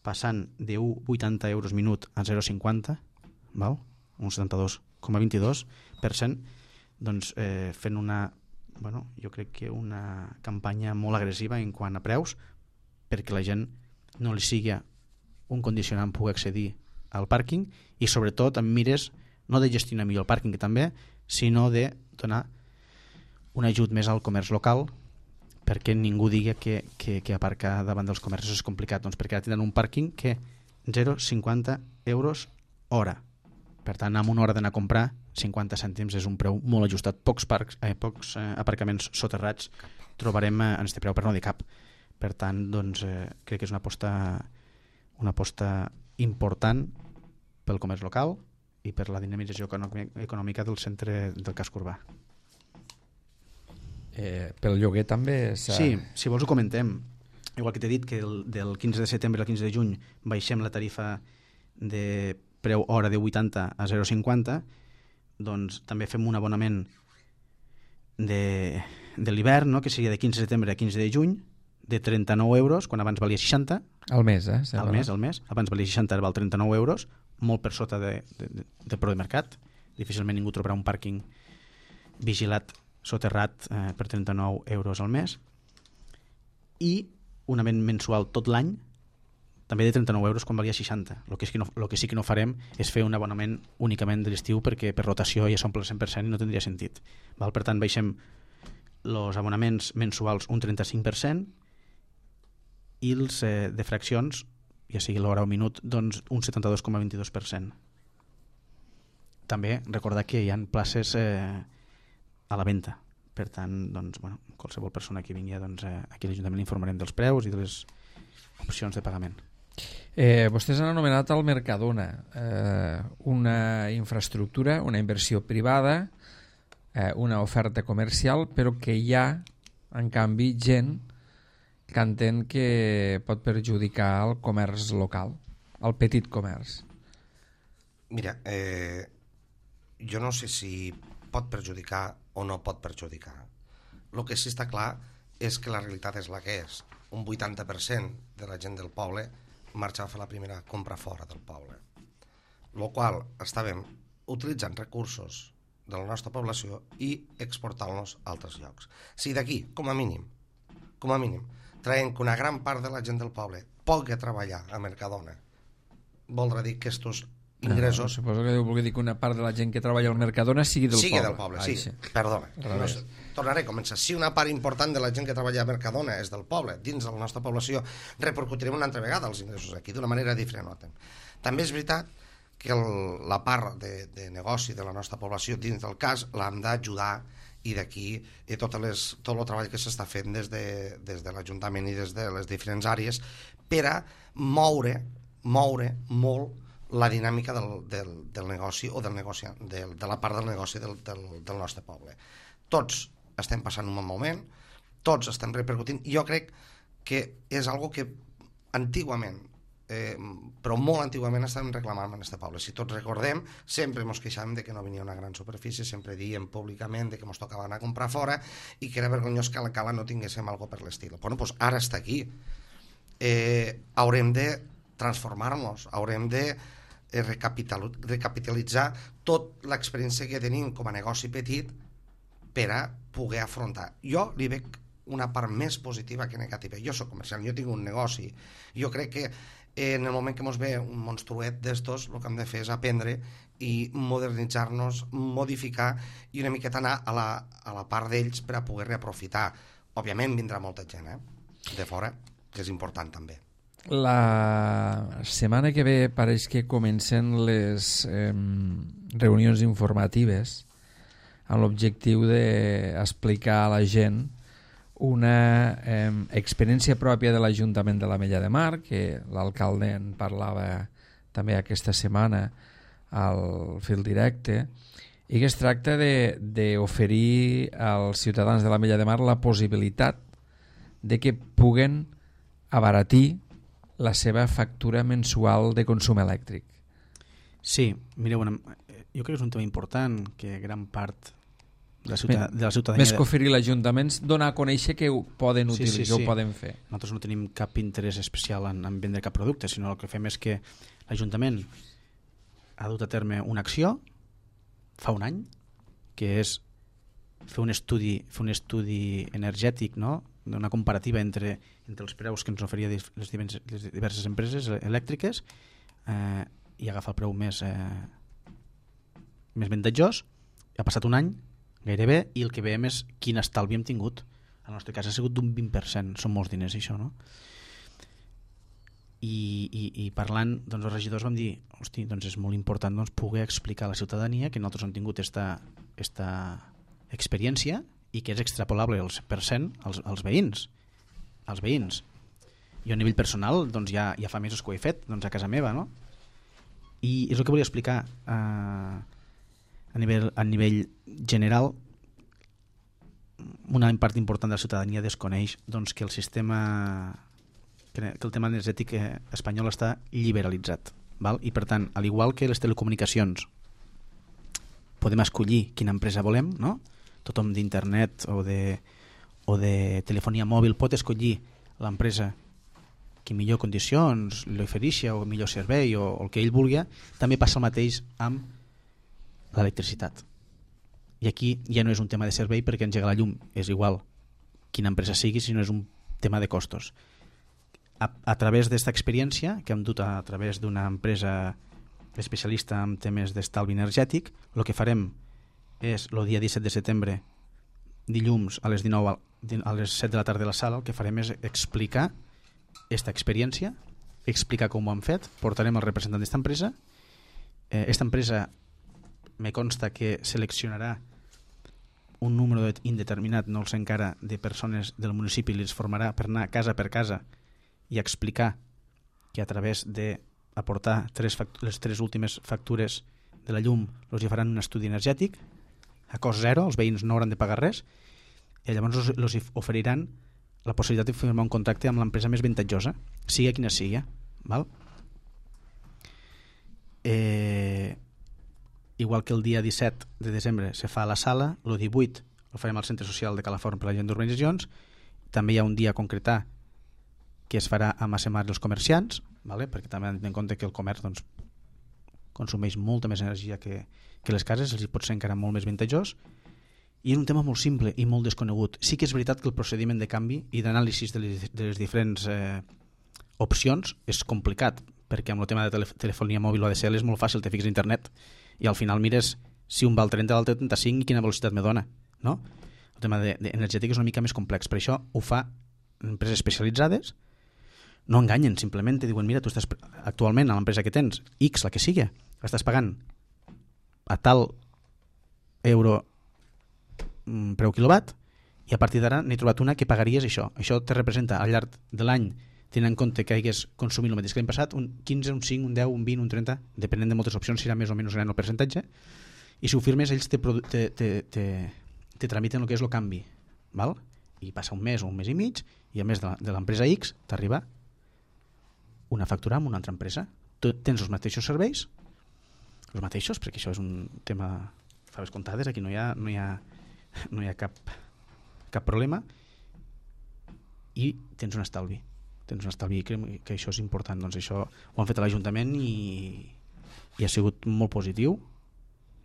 Passant de 1,80 euros minut a 0,50, val? Un 72,22%, doncs fent jo crec que una campanya molt agressiva en quant a preus, perquè la gent no li sigui un condicionant poder accedir al pàrquing, i sobretot amb mires no de gestionar millor el pàrquing, que també, sinó de donar un ajut més al comerç local, perquè ningú digui que aparcar davant dels comerços és complicat, doncs perquè ara tindran un pàrquing que 0,50 euros hora. Per tant, amb una hora d'anar a comprar, 50 cèntims és un preu molt ajustat. Pocs aparcaments soterrats trobarem en aquest preu, per no dir cap. Per tant, doncs, crec que és una aposta important pel comerç local i per la dinamització econòmica del centre del casc urbà. Pel lloguer també Sí, si vols ho comentem. Igual que t'he dit que del 15 de setembre al 15 de juny baixem la tarifa de preu hora de 80 a 0,50, doncs també fem un abonament de l'hivern, no? Que seria de 15 de setembre a 15 de juny, de 39 euros, quan abans valia 60. Al mes, Al mes. Abans valia 60, ara val 39 euros, molt per sota de preu de mercat. Difícilment ningú trobarà un pàrquing vigilat soterrat per 39 euros al mes. I un abonament mensual tot l'any, també de 39 euros quan valia 60. El que sí que no farem és fer un abonament únicament de l'estiu, perquè per rotació ja s'omple el 100% i no tindria sentit. Val? Per tant, baixem els abonaments mensuals un 35% i els de fraccions, ja sigui l'hora o minut, doncs un 72,22%. també recordar que hi ha places a la venda. Per tant, doncs, bueno, qualsevol persona que vingui, doncs, aquí a l'Ajuntament l'informarem dels preus i de les opcions de pagament. Vostès han anomenat el Mercadona, una infraestructura, una inversió privada, una oferta comercial, però que hi ha, en canvi, gent que entén que pot perjudicar el comerç local, el petit comerç. Mira, jo no sé si pot perjudicar o no pot perjudicar. El que sí està clar és que la realitat és la que és. Un 80% de la gent del poble marxa a fer la primera compra fora del poble. Lo qual estàvem utilitzant recursos de la nostra població i exportant-los a altres llocs. Si d'aquí, com a mínim, traiem que una gran part de la gent del poble pugui treballar a Mercadona, voldrà dir que estos ingressos... Suposo que vol dir que una part de la gent que treballa al Mercadona sigui del poble. Sí. Perdona. Tornaré a començar. Si una part important de la gent que treballa a Mercadona és del poble, dins de la nostra població, repercutirem una altra vegada els ingressos aquí, d'una manera diferent. També és veritat que la part de negoci de la nostra població dins del cas l'hem d'ajudar, i d'aquí tot el treball que s'està fent des de l'Ajuntament i des de les diferents àrees per a moure molt la dinàmica del negoci o de la part del negoci del nostre poble. Tots estem passant un bon moment, tots estem repercutint. Jo crec que és algo que antigament, però molt antigament estàvem reclamant en aquest poble. Si tots recordem, sempre ens queixàvem de que no venia una gran superfície, sempre diem públicament que ens tocava anar a comprar fora i que era vergonyós que a la cala no tinguéssim algo per l'estil. Bueno, doncs ara està aquí. Haurem de transformar-nos, haurem de recapitalitzar tota l'experiència que tenim com a negoci petit per a poder afrontar. Jo li veig una part més positiva que negativa. Jo soc comercial, jo tinc un negoci. Jo crec que en el moment que ens ve un monstruet d'estos, el que hem de fer és aprendre i modernitzar-nos, modificar i una miqueta anar a la part d'ells per a poder reaprofitar. Òbviament vindrà molta gent de fora, que és important també. La setmana que ve pareix que comencen les reunions informatives amb l'objectiu d'explicar a la gent una experiència pròpia de l'Ajuntament de l'Ametlla de Mar, que l'alcalde en parlava també aquesta setmana al fil directe, i que es tracta d'oferir als ciutadans de l'Ametlla de Mar la possibilitat de que puguen abaratir la seva factura mensual de consum elèctric. Sí, mireu, jo crec que és un tema important que gran part de la ciutadania... Més que oferir l'Ajuntament, donar a conèixer que ho poden utilitzar, ho poden fer. Nosaltres no tenim cap interès especial en vendre cap producte, sinó el que fem és que l'Ajuntament ha dut a terme una acció fa un any, que és fer un estudi energètic, no?, d'una comparativa entre els preus que ens oferia les diverses empreses elèctriques i agafar el preu més avantatjós. Ha passat un any gairebé i el que veiem és quin estalvi hem tingut. En el nostre cas ha sigut d'un 20%, són molts diners això, no? I parlant, doncs els regidors vam dir, hosti, doncs és molt important doncs, poder explicar a la ciutadania que nosaltres hem tingut esta experiència i que és extrapolable al 100% als veïns. Jo a nivell personal doncs, ja fa mesos que ho he fet doncs, a casa meva, no? I és el que volia explicar a nivell general. Una part important de la ciutadania desconeix doncs, que el tema energètic espanyol està liberalitzat, val? I per tant, al igual que les telecomunicacions podem escollir quina empresa volem, no? Tothom d'internet o de telefonia mòbil pot escollir l'empresa que millor condicions li ofereixi o millor servei o el que ell vulgui. També passa el mateix amb l'electricitat. I aquí ja no és un tema de servei perquè engegar la llum és igual quina empresa sigui, sinó és un tema de costos. A través d'esta experiència que hem dut a través d'una empresa especialista en temes d'estalvi energètic, el que farem és el dia 17 de setembre, dilluns a les 19 a les 7 de la tarda a la sala, el que farem és explicar aquesta experiència, explicar com ho han fet, portarem el representant d'esta empresa. Esta empresa me consta que seleccionarà un número indeterminat, no el sé encara, de persones del municipi i les formarà per anar casa per casa i explicar que a través d'aportar les 3 últimes factures de la llum els hi faran un estudi energètic a cost zero, els veïns no hauran de pagar res i llavors els oferiran la possibilitat de firmar un contracte amb l'empresa més avantatjosa, sigui quina sigui, val? Igual que el dia 17 de desembre se fa a la sala, el 18 el farem al centre social de Calaforn per la gent d'urbanitzacions, també hi ha un dia a concretar que es farà a Massemar dels comerciants, vale? Perquè també han de tenir en compte que el comerç doncs, consumeix molta més energia que les cases, els hi pot ser encara molt més avantatjós, i és un tema molt simple i molt desconegut. Sí que és veritat que el procediment de canvi i d'anàlisi de les diferents opcions és complicat, perquè amb el tema de telefonia mòbil o ADSL és molt fàcil, te fiques a internet i al final mires si un val 30, l'altre 35 i quina velocitat me dona, no? El tema energètic és una mica més complex, per això ho fa empreses especialitzades, no enganyen, simplement te diuen, mira, tu estàs actualment a l'empresa que tens, X, la que sigui, estàs pagant a tal euro preu quilowatt i a partir d'ara n'he trobat una que pagaries això te representa al llarg de l'any, tenint en compte que hagués consumit el mateix que l'any passat, un 15, un 5, un 10, un 20, un 30, depenent de moltes opcions serà més o menys gran el percentatge, i si ho firmes ells te tramiten el que és el canvi, val? I passa un mes o un mes i mig i a més de l'empresa X t'arriba una factura amb una altra empresa, tu tens els mateixos serveis, els mateixos, perquè això és un tema faves comptades, aquí no hi ha cap problema, i tens un estalvi, que això és important. Doncs això ho han fet a l'Ajuntament i ha sigut molt positiu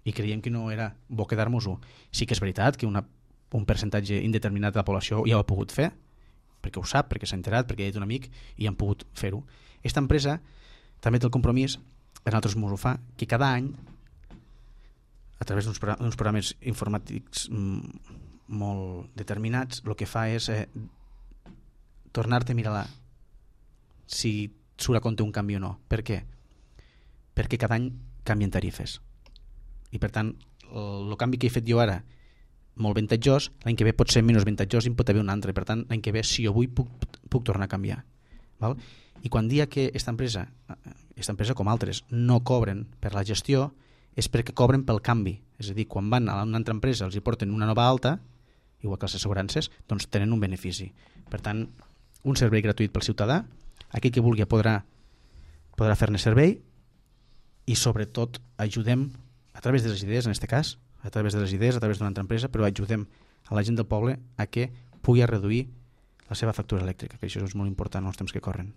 i creiem que no era bo quedar-nos-ho. Sí que és veritat que un percentatge indeterminat de la població ja ho ha pogut fer, perquè ho sap, perquè s'ha enterat, perquè ha dit un amic i han pogut fer-ho. Aquesta empresa també té el compromís, a nosaltres ens ho fa, que cada any a través d'uns programes informàtics molt determinats, el que fa és tornar-te a mirar si surt a compte un canvi o no. Per què? Perquè cada any canvien tarifes. I per tant, el canvi que he fet jo ara, molt avantatjós, l'any que ve pot ser menys avantatjós i en pot haver un altre. Per tant, l'any que ve, si jo vull, puc tornar a canviar. Val? I quan dia que aquesta empresa com altres no cobren per la gestió, és perquè cobren pel canvi. És a dir, quan van a una altra empresa els hi porten una nova alta, igual que les assegurances, doncs tenen un benefici. Per tant, un servei gratuït pel ciutadà, aquell que vulgui podrà fer-ne servei i sobretot ajudem a través de les idees, en aquest cas, a través d'una altra empresa, però ajudem a la gent del poble a que pugui reduir la seva factura elèctrica, que això és molt important en els temps que corren.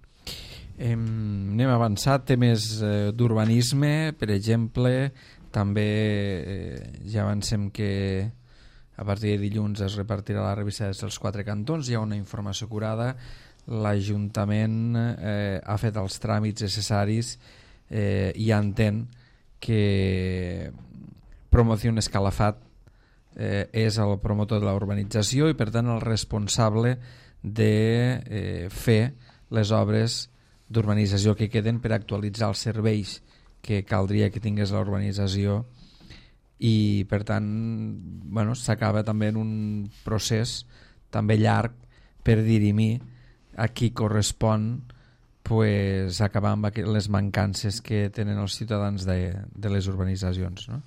Anem a avançar temes d'urbanisme, per exemple, també ja avancem que a partir de dilluns es repartirà la revista dels 4 cantons, hi ha una informació curada, l'Ajuntament ha fet els tràmits necessaris i entén que Promociones Calafat és el promotor de la urbanització i per tant el responsable de fer les obres d'urbanització que queden per actualitzar els serveis que caldria que tingués la urbanització i per tant s'acaba també en un procés també llarg per dirimir a qui correspon acabar amb les mancances que tenen els ciutadans de les urbanitzacions, no?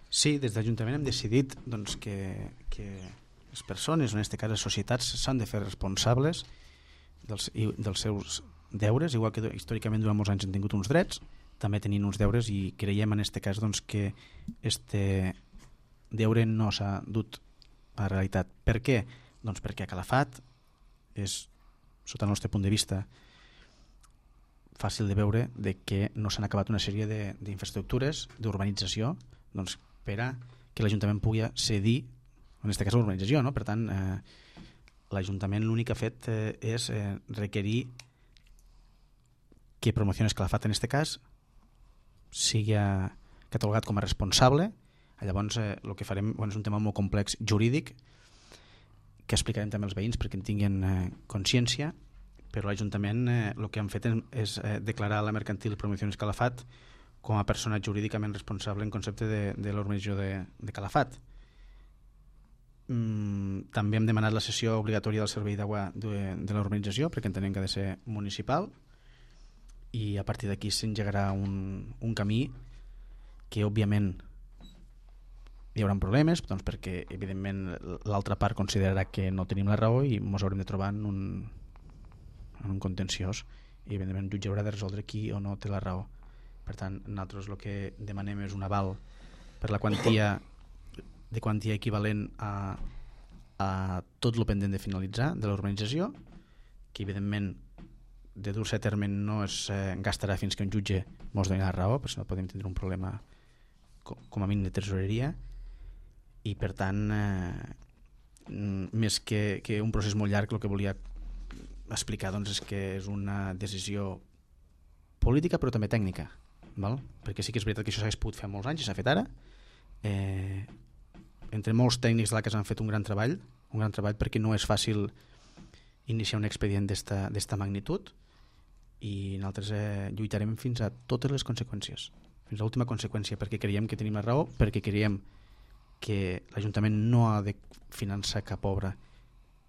Sí, des d'Ajuntament hem decidit doncs, que les persones, en aquest cas les societats, s'han de fer responsables dels seus deures, igual que històricament durant molts anys han tingut uns drets, també tenint uns deures i creiem en aquest cas doncs, que este deure no s'ha dut a la realitat. Per què? Doncs perquè a Calafat és, sota el nostre punt de vista, fàcil de veure de que no s'han acabat una sèrie d'infraestructures d'urbanització doncs, per a que l'Ajuntament pugui cedir, en aquest cas l'urbanització, no? Per tant, l'Ajuntament l'únic que ha fet és requerir que Promociones Calafat, en aquest cas, sigui catalogat com a responsable. Llavors, el que farem és un tema molt complex jurídic que explicarem també als veïns perquè en tinguin consciència, però l'Ajuntament el que han fet és declarar la mercantil Promociones Calafat com a persona jurídicament responsable en concepte de l'organització de Calafat. També hem demanat la cessió obligatòria del servei d'aigua de l'organització, perquè entenem que ha de ser municipal, i a partir d'aquí s'engegarà un camí que òbviament hi haurà problemes, doncs perquè evidentment l'altra part considerarà que no tenim la raó i ens haurem de trobar en un contenciós, i evidentment el jutge haurà de resoldre qui o no té la raó. Per tant, nosaltres el que demanem és un aval per la quantia equivalent a tot el pendent de finalitzar de l'organització, que evidentment de dur-se a terme no es gastarà fins que un jutge ens doni la raó, perquè si no podem tindre un problema com a mínim de tresoreria. I per tant, més que un procés molt llarg, el que volia explicar doncs, és que és una decisió política però també tècnica, val? Perquè sí que és veritat que això s'hagués pogut fer molts anys i s'ha fet ara. Entre molts tècnics de la casa han fet un gran treball perquè no és fàcil iniciar un expedient d'esta magnitud, i nosaltres lluitarem fins a totes les conseqüències, fins a l'última conseqüència, perquè creiem que tenim la raó, perquè creiem que l'Ajuntament no ha de finançar cap obra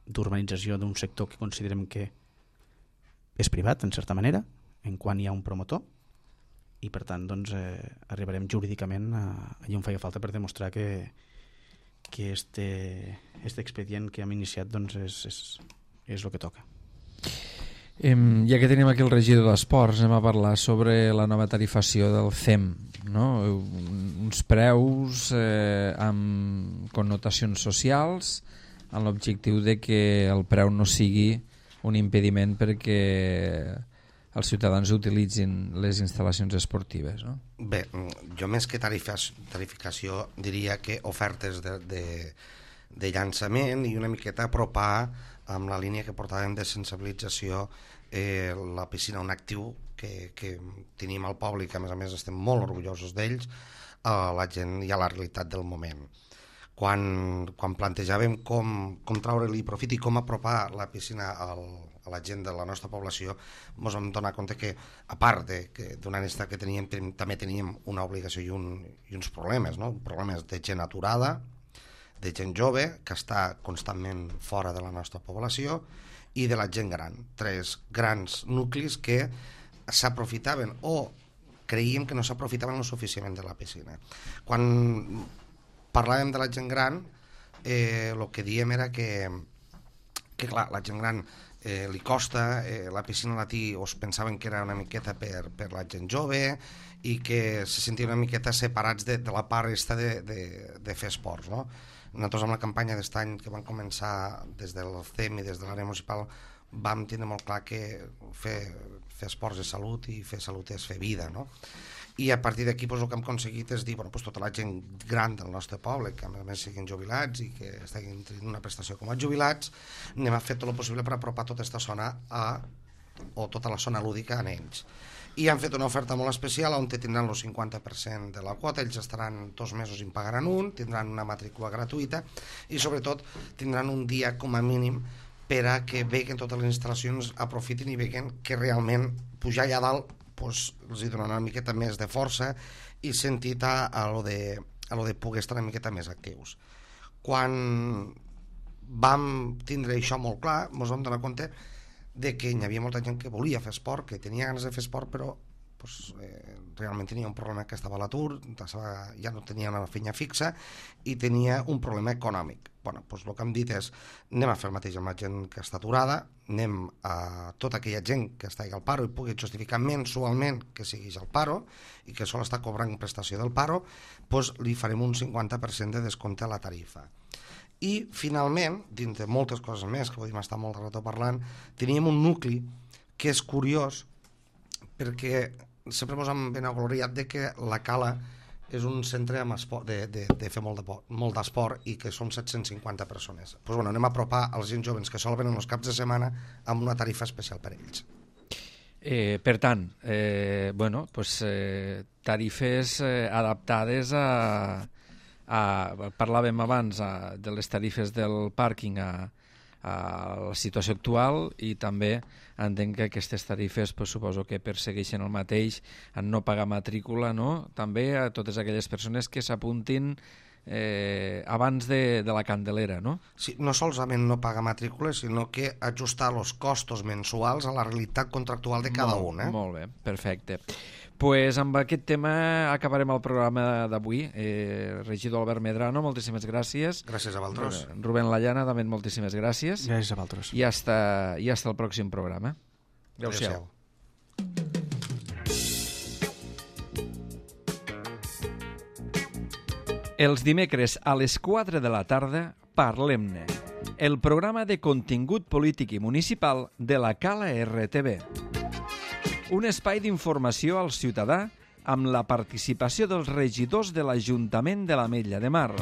d'urbanització d'un sector que considerem que és privat, en certa manera, en quan hi ha un promotor, i per tant doncs, arribarem jurídicament allà on feia falta per demostrar que este expedient que hem iniciat doncs, és el que toca. Ja que tenim aquí el regidor d'Esports, anem a parlar sobre la nova tarifació del CEM, no? Uns preus amb connotacions socials, amb l'objectiu de que el preu no sigui un impediment perquè els ciutadans utilitzin les instal·lacions esportives, no? Bé, jo més que tarificació diria que ofertes de llançament i una miqueta apropar amb la línia que portàvem de sensibilització la piscina, un actiu que tenim al poble i que a més estem molt orgullosos d'ells, a la gent i a la realitat del moment. Quan plantejàvem com treure-li profit i com apropar la piscina a la gent de la nostra població, ens vam donar compte que, a part d'una necessitat que teníem, també teníem una obligació i uns problemes, no? Problemes de gent aturada, de gent jove que està constantment fora de la nostra població, i de la gent gran. 3 grans nuclis que s'aprofitaven o creiem que no s'aprofitaven lo suficientment de la piscina. Quan parlàvem de la gent gran, el que diem era que clar, la gent gran li costa, la piscina a Latí pensaven que era una miqueta per la gent jove i que se sentien una miqueta separats de la part de fer esports, no? Nosaltres amb la campanya d'aquest any que vam començar des del CEM i des de l'àrea municipal vam tindre molt clar que fer esports és salut i fer salut és fer vida, no? I a partir d'aquí el que hem aconseguit és dir, tota la gent gran del nostre poble, que a més siguin jubilats i que estiguin tenint una prestació com a jubilats, anem a fer tot el possible per apropar tota aquesta zona o tota la zona lúdica a ells. I han fet una oferta molt especial on tindran el 50% de la quota, ells estaran 2 mesos i en pagaran un, tindran una matrícula gratuïta i sobretot tindran un dia com a mínim per a que veguen totes les instal·lacions, aprofitin i veguen que realment pujar allà dalt els hi dona una miqueta més de força i sentit a lo de poder estar una miqueta més actius. Quan vam tindre això molt clar, ens vam donar compte de que hi havia molta gent que volia fer esport, que tenia ganes de fer esport, però realment tenia un problema que estava a l'atur, ja no tenia una feina fixa i tenia un problema econòmic. El que hem dit és, anem a fer el mateix amb la gent que està aturada, anem a tota aquella gent que està al paro i pugui justificar mensualment que siguis al paro i que sol està cobrant prestació del paro, li farem un 50% de descompte a la tarifa. I finalment, dins de moltes coses més que podem estar molt de rato parlant, teníem un nucli que és curiós perquè sempre ens hem enagloriat de que la Cala és un centre de fer molt d'esport i que som 750 persones. Anem a apropar els gent joves que sol venen els caps de setmana amb una tarifa especial per ells. Per tant, tarifes adaptades parlàvem abans de les tarifes del pàrquing a la situació actual, i també entenc que aquestes tarifes suposo que persegueixen el mateix en no pagar matrícula, no? També a totes aquelles persones que s'apuntin abans de la Candelera, no? Sí, no solament no pagar matrícula, sinó que ajustar els costos mensuals a la realitat contractual de cada un. Molt bé, perfecte. Pues amb aquest tema acabarem el programa d'avui. Regidor Albert Medrano, moltíssimes gràcies. Gràcies a vosaltres. Rubén Layana, també moltíssimes gràcies. Gràcies a vosaltres. I hasta el pròxim programa. Adéu-siau. Els dimecres a les 4 de la tarda, Parlem-ne, el programa de contingut polític i municipal de la Cala RTV. Un espai d'informació al ciutadà amb la participació dels regidors de l'Ajuntament de l'Ametlla de Mar.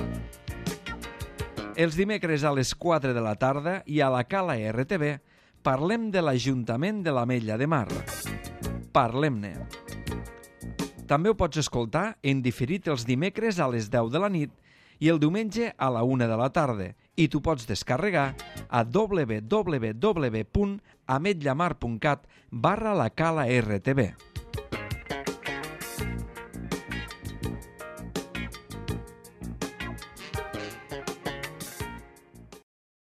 Els dimecres a les 4 de la tarda i a la Cala RTV parlem de l'Ajuntament de l'Ametlla de Mar. Parlem-ne. També ho pots escoltar en diferit els dimecres a les 10 de la nit i el diumenge a la 1 de la tarda, i t'ho pots descarregar a www.ametllamar.cat/la Cala RTV.